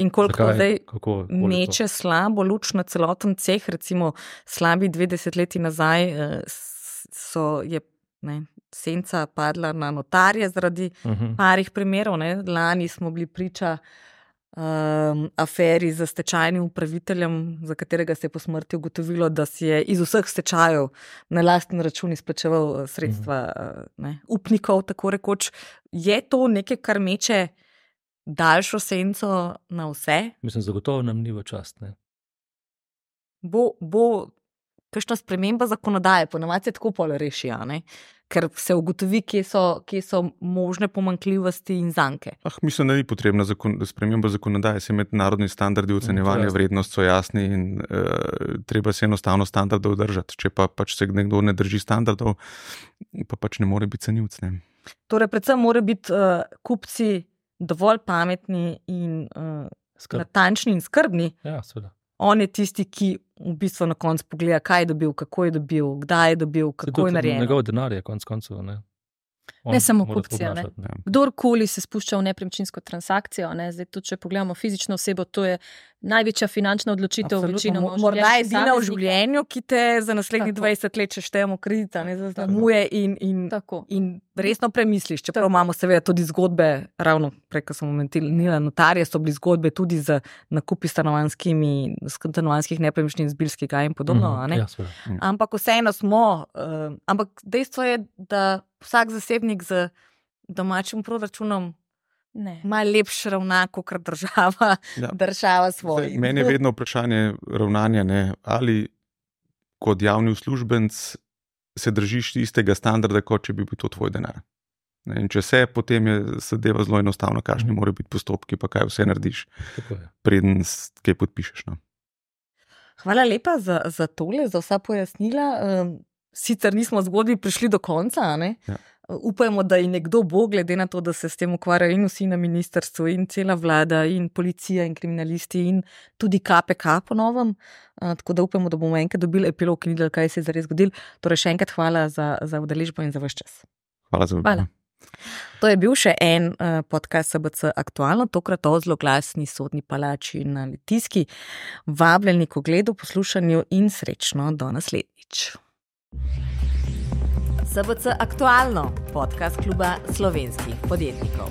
In koliko Zakaj? zdaj Kako, meče slabo luč na celoten ceh, recimo slabi dve desetletji nazaj so, je ne, senca padla na notarje zaradi uh-huh. parih primerov. Ne. Lani smo bili priča um, aferi za stečajnim upraviteljem, za katerega se je po smrti ugotovilo, da si je iz vseh stečajev na lasten račun izplačeval sredstva uh, ne, upnikov, tako rekoč. Je to nekaj, kar meče daljšo senco na vse? Mislim, zagotovo nam ni v čast. Ne? Bo, bo kakšna sprememba zakonodaje, ponavadi se tako pol reši, ne? Ker se ugotovi, kje so, kje so možne pomanjkljivosti in zanke. Ah, mislim, da ni potrebna zakon, sprememba zakonodaje, se mednarodni standardi ocenjevanja vrednost so jasni in uh, treba se enostavno standardov držati. Če pa pač se nekdo ne drži standardov, pa pač ne more biti cenilec. Ne? Torej, predvsem mora biti uh, kupci dovolj pametni in uh, natančni in skrbni. Ja, seveda. On je tisti, ki v bistvu na koncu pogleda, kaj je dobil, kako je dobil, kdaj je dobil, kako je narejeno. Njegov denar je konc koncev, ne. Ne samo kupcija. Ne. Kdorkoli se spušča v nepremičninsko transakcijo, ne. Zdaj tudi, če pogledamo fizično osebo, to je največja finančna odločitev večinoma. Morda je edina v življenju, ki te za naslednjih dvajset let še štejemo kredita, ne zaznamuje in, in, in resno premisliš. Čeprav imamo seveda tudi zgodbe, ravno prej, ko sem omenila notarje, so bili zgodbe tudi z nakupi stanovanjskih nepremičnin z Bilskega in podobno. Mm, ne? Ja, ampak vseeno smo, uh, ampak dejstvo je, da vsak zasebnik z domačim proračunom ima lepše ravna, kot država, ja. država svoj. Zdaj, meni je vedno vprašanje ravnanja, ne, ali kot javni uslužbenc se držiš istega standarda, kot če bi bil to tvoj denar. Ne, in če se, potem je zadeva zelo enostavno, kakšni morajo biti postopki, pa kaj vse narediš, preden kaj podpišeš. No. Hvala lepa za, za tole, za vsa pojasnila. Sicer nismo zgodbi prišli do konca, ne? Ja. Upajmo, da je nekdo bo, glede na to, da se s tem ukvarjajo in vsi na ministrstvu, in cela vlada, in policija, in kriminalisti, in tudi K P K po novem. Tako da upajmo, da bomo enkrat dobili epilog in videli, kaj se je zares zgodilo. Torej še enkrat hvala za, za udeležbo in za vaš čas. Hvala za vabilo. To je bil še en uh, podcast S B C Aktualno, tokrat o zloglasni sodni palači na Litijski. Vabljeni k ogledu, poslušanju in srečno do naslednjič. S B C Aktualno, podcast kluba slovenskih podjetnikov.